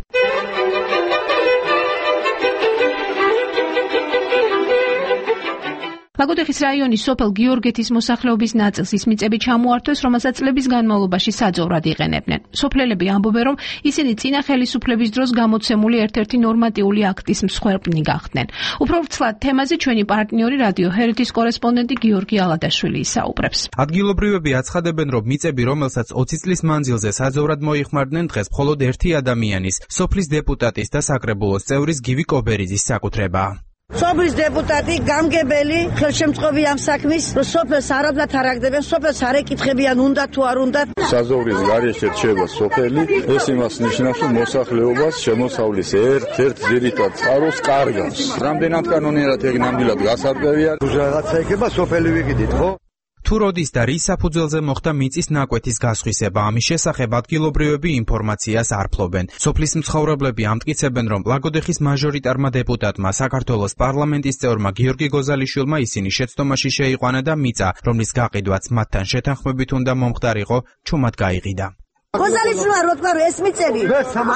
ლაგოდეხის რაიონის სოფელ გიორგეთის მოსახლეობის ნაწილს ის მიწები ჩამოართვეს, რომელსაც წლების განმავლობაში საძოვრად იყენებდნენ. სოფლელები ამბობენ, რომ ისინი წინა ხელისუფლების დროს გამოცემული ერთ-ერთი ნორმატიული აქტის მსხვერპლი გახდნენ. უფრო ვრცლად თემაზე ჩვენი პარტნიორი რადიო ჰერეთის კორესპონდენტი გიორგი ალადაშვილი ისაუბრებს. ადგილობრივები აცხადებენ, რომ მიწები, რომელსაც ოცი წლის მანძილზე საძოვრად მოიხმარდნენ, დღეს მხოლოდ ერთი ადამიანის, სოფლის დეპუტატის და საკრებულოს წევრის გივი კობერიძის საკუთრებაა. სოფლის დეპუტატი, გამგებელი, ხელშემწყობი ამ საქმის, რომ სოფელს არაბლად არ აგდებენ, სოფელს არ ეკითხებიან, უნდა თუ არ უნდა. საზღვრის გარეშე რჩება სოფელი, ეს იმას ნიშნავს, რომ მოსახლეობას შემოსავლის ერთ-ერთ ძირითად წყაროს კარგავს. რამდენად კანონიერად ეგ ნამდვილად გასარკვევია, რაღაცა იქნება სოფელი ვიყიდით, ხო? თუ როდის და რის საფუძველზე მოხდა მიწის ნაკვეთის გასხვისება, ამის შესახებ ადგილობრივები ინფორმაციას არ ფლობენ. სოფლის მცხოვრებლები ამტკიცებენ, რომ ლაგოდეხის მაჟორიტარმა დეპუტატმა, საქართველოს პარლამენტის წევრმა გიორგი გოზალიშვილმა ისინი შეცდომაში შეიყვანა და მიწა, რომლის გაყიდვაც მათთან შეთანხმებით უნდა მომხდარიყო, ჩუმად გაიყიდა. გოზალიშვილმა რო თქვა, რომ ეს მიწები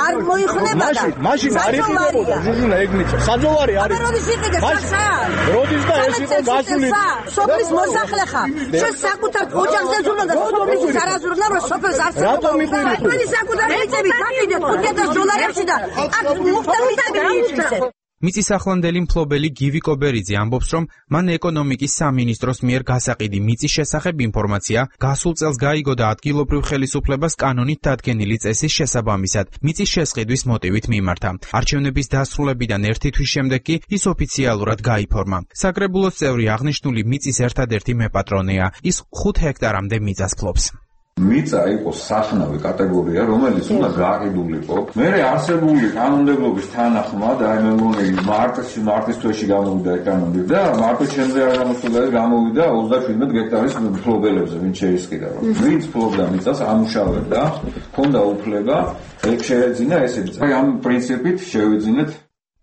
არ მოიხმება და მაშინ არ იყიდებოდა ჟუჟუნა ეგ მიწა. საძოვარი არის. როდის იყიდე საცა? როდის და ეს იყო გასული? სოფლის მოსახლე ხარ. შენ საკუთარ ოჯახზე ზურნა და სოფლის არაზურნა რომ სოფელს არ საუბრობ. რატომ იყიდე? თქვენი საკუთარი მიწები გაკიდეთ ხუთი ათას დოლარებში და აქ მუხტა მიწები მიიწვისეთ. მიწის ახლანდელი მფლობელი გივი კობერიძე ამბობს, რომ მან ეკონომიკის სამინისტროს მიერ გასაყიდი მიწის შესახებ ინფორმაცია გასულ წელს გაიგო და ადგილობრივ ხელისუფლებას კანონით დადგენილი წესის შესაბამისად მიწის შესყიდვის მოტივით მიმართა. არჩევნების დასრულებიდან ერთი თვის შემდეგ კი ის ოფიციალურად გაიფორმა. საკრებულოს წევრი აღნიშნული მიწის ერთადერთი მეპატრონეა. ის ხუთ ჰექტარამდე მიწას ფლობს. მიწა იყოს სახნავი კატეგორია, რომელიც უნდა გაყიდულიყო. მე არსებული კანონმდებლობის თანახმად, აი მე მგონი მარტში, მარტის თვეში გამოვიდა ეკანონმდებლობა და მარტის შემდგე არ გამოსულა და გამოვიდა ოცდაშვიდმეტ გექტარის მფლობელებზე, ვინც შეისყიდა რომ. ვინც ფლობდა მიწას, ამუშავებდა, ჰქონდა უფლება, ეგ შეეძინა ესეც. აი ამ პრინციპით შევიძინეთ.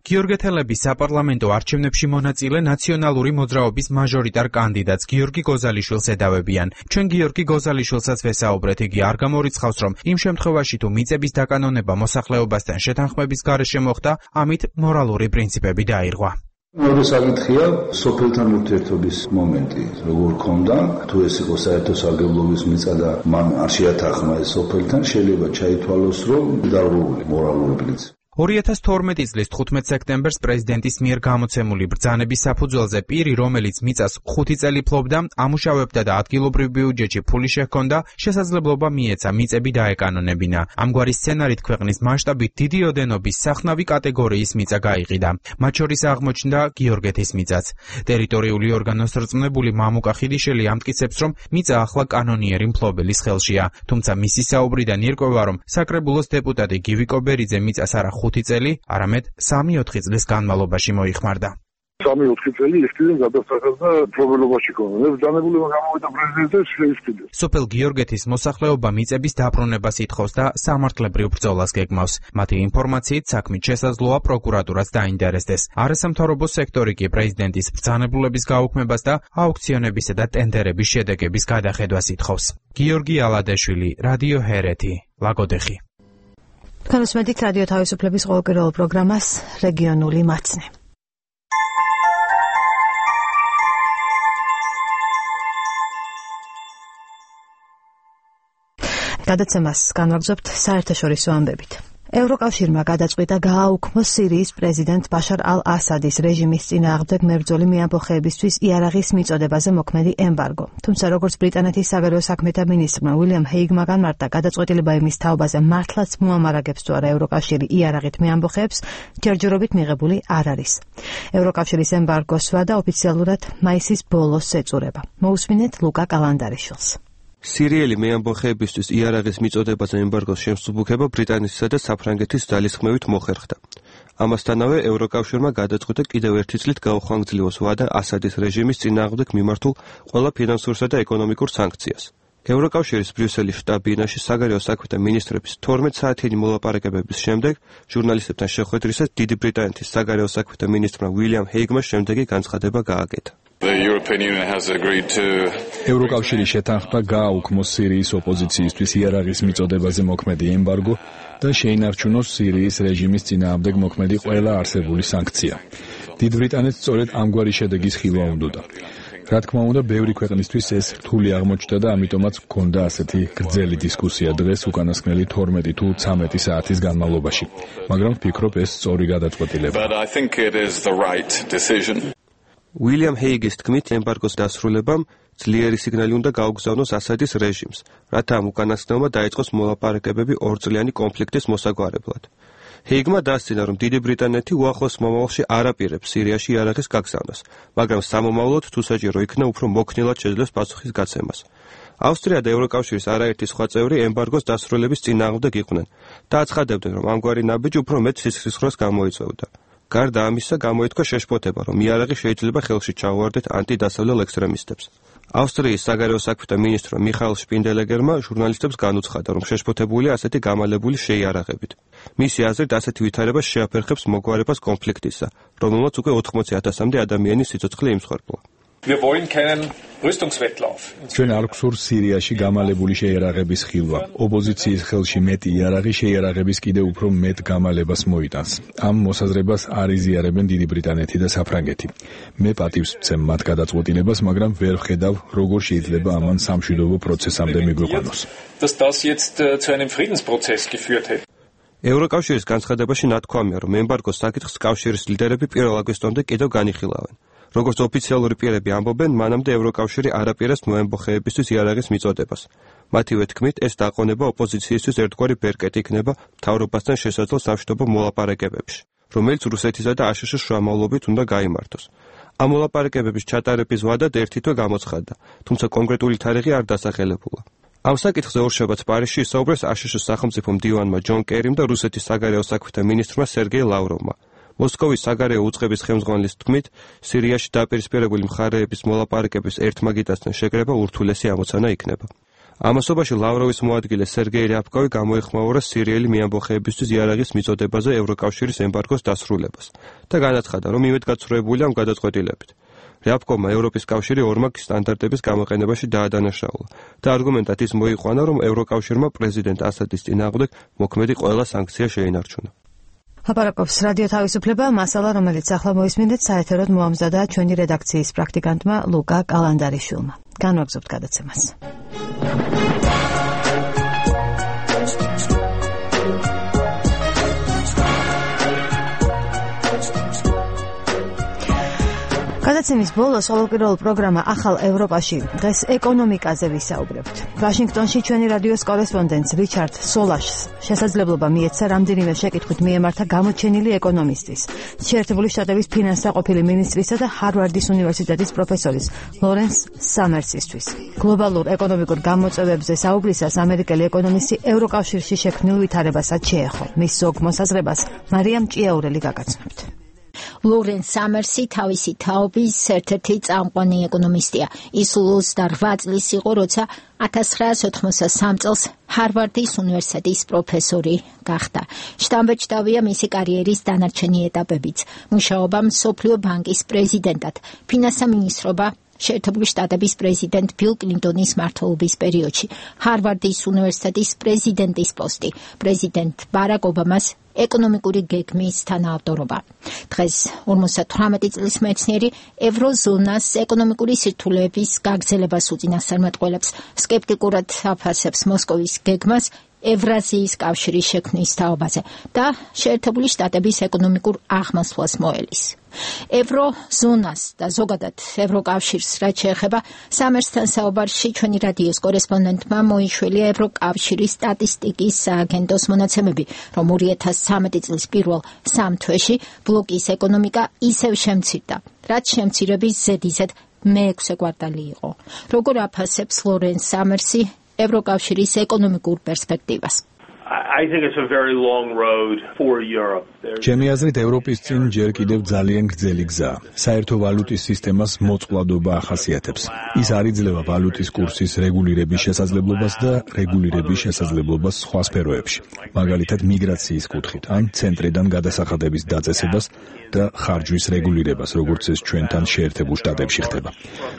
გიორგეთელების საპარლამენტო არჩევნებში მონაწილე ნაციონალური მოძრაობის მაჟორიტარ კანდიდატს გიორგი გოზალიშვილს ედავებიან. ჩვენ გიორგი გოზალიშვილსაც ვესაუბრეთ, იგი არ გამორიცხავს, რომ იმ შემთხვევაში თუ მიწების დაკანონება მოსახლეობასთან შეთანხმების გარეშე მოხდა, ამით მორალური პრინციპები დაირღვა. მეორე საკითხია სოფელთან ურთიერთობის მომენტი, როგორ ქონდა, თუ ეს იყო საერთო სარგებლობის მიწა და მან არ შეათანხმა ეს სოფელთან, შეიძლება ჩაითვალოს, რომ დარღვეული მორალური პრინციპი. ორი ათას თორმეტი წლის თხუთმეტ სექტემბერს პრეზიდენტის მიერ გამოცემული ბრძანების საფუძველზე პირი, რომელიც მიწას ხუთი წელი ფლობდა, ამუშავებდა და ადგილობრივ ბიუჯეტში ფული შეჰქონდა, შესაძლებლობა მიეცა მიწები დაეკანონებინა. ამგვარი სცენარით ქვეყნის მასშტაბით დიდი ოდენობის სახნავი კატეგორიის მიწა გაიყიდა. მათ შორის აღმოჩნდა გიორგეთის მიწაც. ტერიტორიული ორგანოს რწმუნებული მამუკა ხიდიშელი ამტკიცებს, რომ მიწა ახლა კანონიერი მფლობელის ხელშია. თუმცა მისი საუბრიდან ირკვევა, რომ საკრებულოს დეპუტატი გივი კობერიძე მიწას არა ხუთი წელი, არამედ სამი ოთხი წლის განმავლობაში მოიხმარდა. სამი ოთხი წელი ისკიდან გადასახადა პრობლემაში ქონა. მე ბრძანებულება გამოვიდა პრეზიდენტის შეისკიდა. სოფელ გიორგეთის მოსახლეობა მიწების დაბრუნებას ითხოვს და სამართლებრივ ბრძოლას გეგმავს. მათი ინფორმაციით საქმით შესაძლოა პროკურატურას დაინტერესდეს. არასამთავრობო სექტორი კი პრეზიდენტის ბრძანებულების გაუქმებას და აუქციონებისა და ტენდერების შედეგების გადახედვას ითხოვს. გიორგი ალადეშვილი, რადიო ჰერეთი, ლაგოდეხი. თქვენ უსმენთ რადიო თავისუფლების ყოველკვირეულ პროგრამას რეგიონული მაცნე. გადაცემას განვაგრძობთ საერთაშორისო ამბებით. ევროკავშირმა გადაწყვიტა გააუქმოს სირიის პრეზიდენტ ბაშარ ალ-ასადის რეჟიმის წინააღმდეგ მებრძოლი მეამბოხეებისთვის იარაღის მიწოდებაზე მოქმედი ემბარგო. თუმცა როგორც ბრიტანეთის საგარეო საქმეთა მინისტრმა უილიამ ჰეიგმა განმარტა, გადაწყვეტილება იმის თაობაზე მართლაც მოამარაგებს თუ არა ევროკავშირი იარაღით მეამბოხეებს, ჯერჯერობით მიღებული არ არის. ევროკავშირის ემბარგოს ვადა ოფიციალურად მაისის ბოლოს ეწურება. მოусმინეთ ლუკა კალანდარიშვილს. სირიელი მეამბოხეებისთვის იარაღის მიწოდებაზე ემბარგოს შემსუბუქება ბრიტანეთისა და საფრანგეთის ძალისხმევით მოხერხდა. ამასთანავე ევროკავშირმა გადაწყვიტა კიდევ ერთი წლით გაუხანგრძლივოს ვადა ასადის რეჟიმის წინააღმდეგ მიმართულ ყველა ფინანსურსა და ეკონომიკურ სანქციას. ევროკავშირის ბრიუსელის შტაბ-ბინაში საგარეო საქმეთა მინისტრების თორმეტ საათიანი მოლაპარაკებების შემდეგ ჟურნალისტებთან შეხვედრისას დიდი ბრიტანეთის საგარეო საქმეთა მინისტრმა უილიამ ჰეიგმა შემდეგი განცხადება გააკეთა. ევროკავშირი შეთანხმდა გააუქმოს სირიის ოპოზიციისთვის იარაღის მიწოდებაზე მოქმედი ემბარგო და შეინარჩუნოს სირიის რეჟიმის წინააღმდეგ მოქმედი ყველა არსებული სანქცია. დიდ ბრიტანეთს სწორედ ამგვარი შედეგის ხილვა უნდოდა. რა თქმა უნდა, ბევრი ქვეყნისთვის ეს რთული აღმოჩნდა და ამიტომაც გქონდა ასეთი გრძელი დისკუსია დღეს უკანასკნელი თორმეტი თუ ცამეტი საათის განმავლობაში. მაგრამ ვფიქრობ, ეს სწორი გადაწყვეტილება. უილიამ ჰეიგის თქმით, ემბარგოს დასრულებამ ძლიერი სიგნალი უნდა გაუგზავნოს ასადის რეჟიმს, რათა ამ უკანასკნელმა დაიწყოს მოლაპარაკებები ორწლიანი კონფლიქტის მოსაგვარებლად. ჰეიგმა დასცინა, რომ დიდი ბრიტანეთი უახლოს მომავალში არ აპირებს სირიაში იარაღის გაგზავნას, მაგრამ სამომავლოდ თუ საჭირო იქნა, უფრო მოქნილად შეძლებს პასუხის გაცემას. ავსტრია და ევროკავშირის არაერთი სხვა წევრი ემბარგოს დასრულების წინააღმდეგ იყვნენ და აცხადებდნენ, რომ ამგვარი ნაბიჯი უფრო მეტ სისხლისღვრას გამოიწვევდა. გარდა ამისა, გამოითქვა შეშფოთება, რომ იარაღი შეიძლება ხელში ჩაუვარდეთ ანტიდასავლელ ექსტრემისტებს. ავსტრიის საგარეო საქმეთა მინისტრმა მიხაილ შპინდელეგერმა ჟურნალისტებს განუცხადა, რომ შეშფოთებულია ასეთი გამალებული შეიარაღებით. მისი აზრით, ასეთი ვითარება შეაფერხებს მოგვარებას კონფლიქტისა, რომელმაც უკვე ოთხმოცი ათასამდე ადამიანის სიცოცხლე იმსხვერპლა. ჩვენ არ გვსურს სირიაში გამალებული შეიარაღების ხილვა. ოპოზიციის ხელში მეტი იარაღი შეიარაღების კიდევ უფრო მეტ გამალებას მოიტანს. ამ მოსაზრებას არ იზიარებენ დიდი ბრიტანეთი და საფრანგეთი. მე პატივს ვცემ მათ გადაწყვეტილებას, მაგრამ ვერ ვხედავ, როგორ შეიძლება ამან სამშვიდობო პროცესამდე მიგვიყვანოს. ევროკავშირის განცხადებაში ნათქვამია, რომ ემბარგოს საკითხს კავშირის ლიდერები პირველ აგვისტომდე კიდევ განიხილავენ. როგორც ოფიციალური პირები ამბობენ, მანამდე ევროკავშირი არ აპირებს მოემბოხეებისთვის იარაღის მიწოდებას. მათივე თქმით, ეს დაყონება ოპოზიციისთვის ერთგვარი ბერკეტი იქნება მთავრობასთან შესაძლო სამშვიდობო მოლაპარაკებებში, რომელიც რუსეთისა და აშშ-ის შუამავლობით უნდა გაიმართოს. ამ მოლაპარაკებების ჩატარების ვადად ერთი თვე გამოცხადდა, თუმცა კონკრეტული თარიღი არ დასახელებულა. ამ საკითხზე ორშაბათს პარიზში ისაუბრეს აშშ-ის სახელმწიფო მდივანმა ჯონ კერიმ და რუსეთის საგარეო საქმეთა მინისტრმა სერგეი ლავროვმა. მოსკოვის საგარეო უწყების ხელმძღვანელის თქმით, სირიაში დაპირისპირებული მხარეების მოლაპარაკების ერთმაგიდასთან შეკრება ურთულესი ამოცანა იქნება. ამასობაში ლავროვის მოადგილე სერგეი რიაბკოვი გამოეხმაურა სირიელი მეამბოხეებისთვის იარაღის მიწოდებაზე ევროკავშირის ემბარგოს დასრულებას და განაცხადა, რომ იმედგაცრუებულია ამ გადაწყვეტილებით. რიაბკოვმა ევროპის კავშირი ორმაგ სტანდარტების გამოყენებაში დაადანაშაულა და არგუმენტად ის მოიყვანა, რომ ევროკავშირმა პრეზიდენტ ასადის წინააღმდეგ მოქმედი ყველა სანქცია შეინარჩუნა. ლაპარაკობს რადიო თავისუფლება, მასალა, რომელიც ახლა მოისმინეთ საეთეროდ მოამზადა ჩვენი რედაქციის პრაქტიკანტმა ლუკა კალანდარიშვილმა. განვაგრძობთ გადაცემას. გადაცემის ბოლოს ყოველკვირეულ პროგრამა ახალ ევროპაში დღეს ეკონომიკაზე ვისაუბრებთ. ვაშინგტონში ჩვენი რადიოს კორესპონდენტს რიჩარდ სოლაშს შესაძლებლობა მიეცა რამდენიმე შეკითხვით მიემართა გამოჩენილი ეკონომისტის, შეერთებული შტატების ფინანსთა ყოფილი მინისტრისა და ჰარვარდის უნივერსიტეტის პროფესორის ლორენს სამერსისთვის. გლობალურ ეკონომიკურ გამოწვევებზე საუბრისას ამერიკელი ეკონომისტი ევროკავშირში შექმნილ ვითარებასაც შეეხო. მის ზოგ მოსაზრებას მარიამ ჭიაურელი გაგაცნობთ. ლორენს სამერსი თავისი თაობის ერთ-ერთი წამყვანი ეკონომისტია. ის ოცდაოთხ წლის იყო, როცა ათას ცხრაას ოთხმოცდასამ წელს ჰარვარდის უნივერსიტეტის პროფესორი გახდა. შთამბეჭდავია მისი კარიერის დანარჩენი ეტაპებიც. მუშაობა მსოფლიო ბანკის პრეზიდენტად, ფინანსთა მინისტრობა შეერთებული შტატების პრეზიდენტ ბილ კლინტონის მმართველობის პერიოდში, ჰარვარდის უნივერსიტეტის პრეზიდენტის პოსტი, პრეზიდენტ ბარაკ ობამას ეკონომიკური გეგმის თანაავტორობა. დღეს ორმოცდათვრამეტი წლის მეცნიერი ევროზონას ეკონომიკური სირთულეების გაგრძელებას უწინასწარმეტყველებს, სკეპტიკურად აფასებს მოსკოვის გეგმას ევრაზიის კავშირის შექმნის თაობაზე და შეერთებული შტატების ეკონომიკურ აღმასვლას მოელის. ევროზონას და ზოგადად ევროკავშირს რაც შეეხება, სამერსთან საუბარში ჩვენი რადიოს კორესპონდენტმა მოიშველი ევროკავშირის სტატისტიკის სააგენტოს მონაცემები, რომ ორი ათას ცხრამეტი წლის პირველ სამ თვეში ბლოკის ეკონომიკა ისევ შემცირდა, რაც შემცირების ზედიზედ მეექვსე კვარტალი იყო. როგორ აფასებს ლორენს სამერსი ევროკავშირის ეკონომიკურ პერსპექტივას? I think it's a very long road for Europe. ჩემი აზრით, ევროპის წინ ჯერ კიდევ ძალიან გრძელი გზაა. საერთო ვალუტის სისტემას მოწყვლადობა ახასიათებს. ის არ იძლევა ვალუტის კურსის რეგულირების შესაძლებლობას და რეგულირების შესაძლებლობას სხვა სფეროებში, მაგალითად მიგრაციის კუთხით, ან ცენტრიდან გადასახადების დაწესებას და ხარჯვის რეგულირებას, როგორც ეს ჩვენთან შეერთებულ შტატებში ხდება.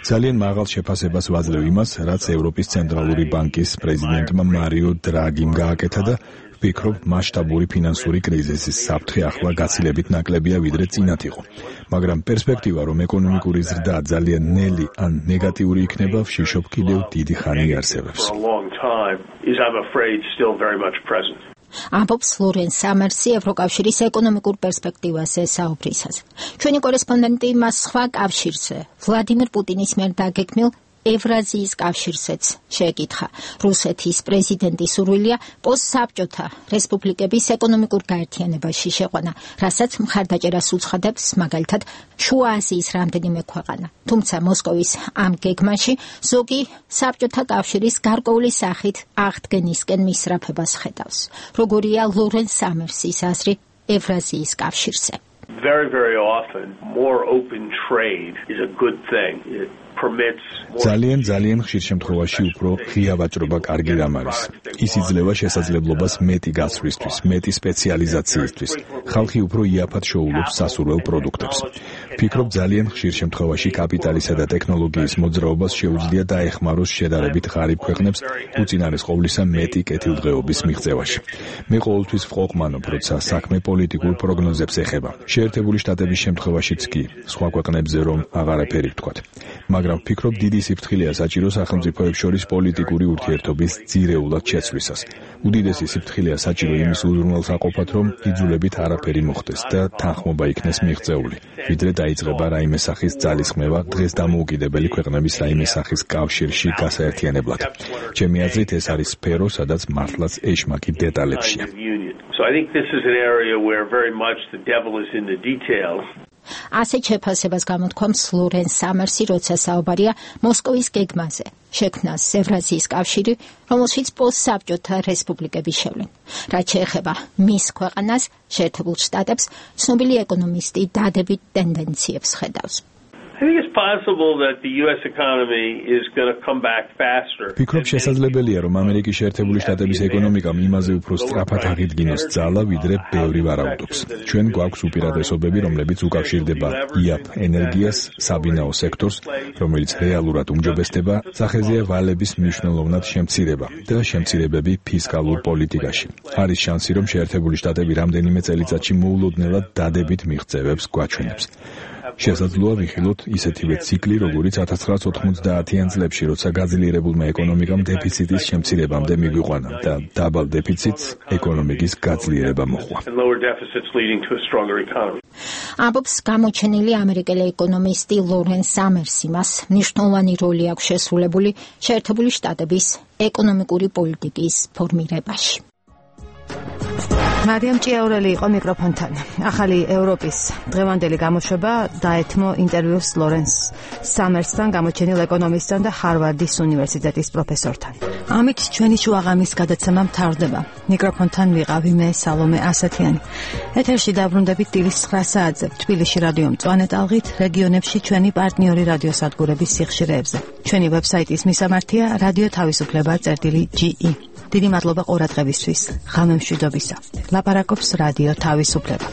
ძალიან მაღალ შეფასებას ვაძლევ იმას, რაც ევროპის ცენტრალური ბანკის პრეზიდენტმა მარიო დრაგიმ გააკეთა და ვფიქრობ, მასშტაბური ფინანსური კრიზისის საფრთხე ახლა გაცილებით ნაკლებია, ვიდრე წინათ იყო. მაგრამ პერსპექტივა, რომ ეკონომიკური ზრდა ძალიან ნელი ან ნეგატიური იქნება, ვშიშობ კიდევ დიდი ხანი იარსებებს. ამბობს ლორენს სამერსი ევროკავშირის ეკონომიკურ პერსპექტივაზე საუბრისას. ჩვენი კორესპონდენტი მას სხვა კავშირზე, ვლადიმერ პუტინის მიერ დაგეგმილ ევრაზიის კავშირზეც შეეკითხა. რუსეთის პრეზიდენტის სურვილია პოსტსაბჭოთა რესპუბლიკების ეკონომიკურ გაერთიანებაში შეყვანა, რასაც მხარდაჭერას უცხადებს მაგალითად შუა აზიის რამდენიმე ქვეყანა. თუმცა მოსკოვის ამ გეგმაში ზოგი საბჭოთა კავშირის გარკვეული სახით აღდგენისკენ მისწრაფებას ხედავს. როგორია ლორენს სამერსის აზრი ევრაზიის კავშირზე? Very, very often, more open trade is a good thing. It ძალიან ძალიან ხშირ შემთხვევაში უფრო ღია ვაჭრობა კარგი რამ არის. ის იძლევა შესაძლებლობას მეტი გაცვლისთვის, მეტი სპეციალიზაციისთვის. ხალხი უფრო იაფად შეუძლებს სასურველ პროდუქტებს. ვფიქრობ, ძალიან ხშირ შემთხვევაში კაპიტალისა და ტექნოლოგიის მოძრაობას შეუძლია დაეხმაროს შედარებით ღარიბ ქვეყნებს უწინარეს ყოვლისა მეტი კეთილდღეობის მიღწევაში. მე ყოველთვის ვყოყმანობ, როცა საქმე პოლიტიკურ პროგნოზებს ეხება. შეერთებული შტატების შემთხვევაშიც კი, სხვა ქვეყნებზე რომ აღარაფერი ვთქვათ. მაგრამ ვფიქრობ, დიდი სიფრთხილეა საჭირო სახელმწიფოებს შორის პოლიტიკური ურთიერთობის ძირეულად შეცვლისას. უდიდესი სიფრთხილეა საჭირო იმის უზრუნველსაყოფად, რომ იძულებით არაფერი მოხდეს და თანხმობა იქნეს მიღწეული, ვიდრე დაიწყება რაიმე სახის ძალისხმევა დღეს დამოუკიდებელი ქვეყნების რაიმე სახის კავშირში გასაერთიანებლად. ჩემი აზრით, ეს არის სფერო, სადაც მართლაც ეშმაკი დეტალებშია. So I think this is an area where very much the devil is in the details. ასეთ შეფასებას გამოთქვამს ლორენს სამერსი, როცა საუბარია მოსკოვის გეგმაზე, შექმნას ევრაზიის კავშირი, რომელშიც პოსტსაბჭოთა რესპუბლიკები შევლენ. რაც შეეხება მის ქვეყანას, შეერთებულ შტატებს, ცნობილი ეკონომისტი დადებით ტენდენციებს ხედავს. I think it's possible that the U S economy is going to come back faster. ფიქრობ შესაძლებელია რომ ამერიკის შეერთებული შტატების ეკონომიკამ იმაზე უფრო სწრაფად აღიდგინოს ძალა, ვიდრე ბევრი ვარაუდობს. ჩვენ გვაქვს უპირატესობები, რომლებიც უკავშირდება იაფ ენერგიას, საბინაო სექტორს, რომელიც რეალურად უმჯობესდება, სახეზეა ვალების მნიშვნელოვნად შემცირება და შემცირებები ფისკალურ პოლიტიკაში. არის შანსი, რომ შეერთებული შტატები რამდენიმე წელიწადში მოულოდნელად დადებით მიღწევებს გვაჩვენებს. შესაძლოა ვიხილოთ ისეთივე ციკლი, როგორიც ათას ცხრაასა ოცდაათიან წლებში, როცა გაძლიერებულმა ეკონომიკამ დეფიციტის შემცირებამდე მიგვიყვანა და დაბალ დეფიციტს ეკონომიკის გაძლიერება მოჰყვა. ამბობს გამოჩენილი ამერიკელი ეკონომისტი ლორენს სამერსი. მას მნიშვნელოვანი როლი აქვს შესრულებული შეერთებული შტატების ეკონომიკური პოლიტიკის ფორმირებაში. მარიამ ჭიაურელი იყო მიკროფონთან. ახალი ევროპის დღევანდელი გამოშვება დაეთმო ინტერვიუს ლორენს სამერსთან, გამოჩენილ ეკონომისტთან და ჰარვარდის უნივერსიტეტის პროფესორთან. ამით ჩვენი შუაღამის გადაცემა მთავრდება. მიკროფონთან ვიყავი მე სალომე ასათიანი. ეთერში დაბრუნდებით დილის ცხრა საათზე თბილისში რადიო მწვანე ტალღით, რეგიონებში ჩვენი პარტნიორი რადიოსადგურების სიხშირეებზე. ჩვენი ვებსაიტის მისამართია რადიო თავისუფლება წერტილი ჯი ი. დიდი მადლობა ყურადღებისთვის. ღამე მშვიდობისა. ლაპარაკობს რადიო თავისუფლება.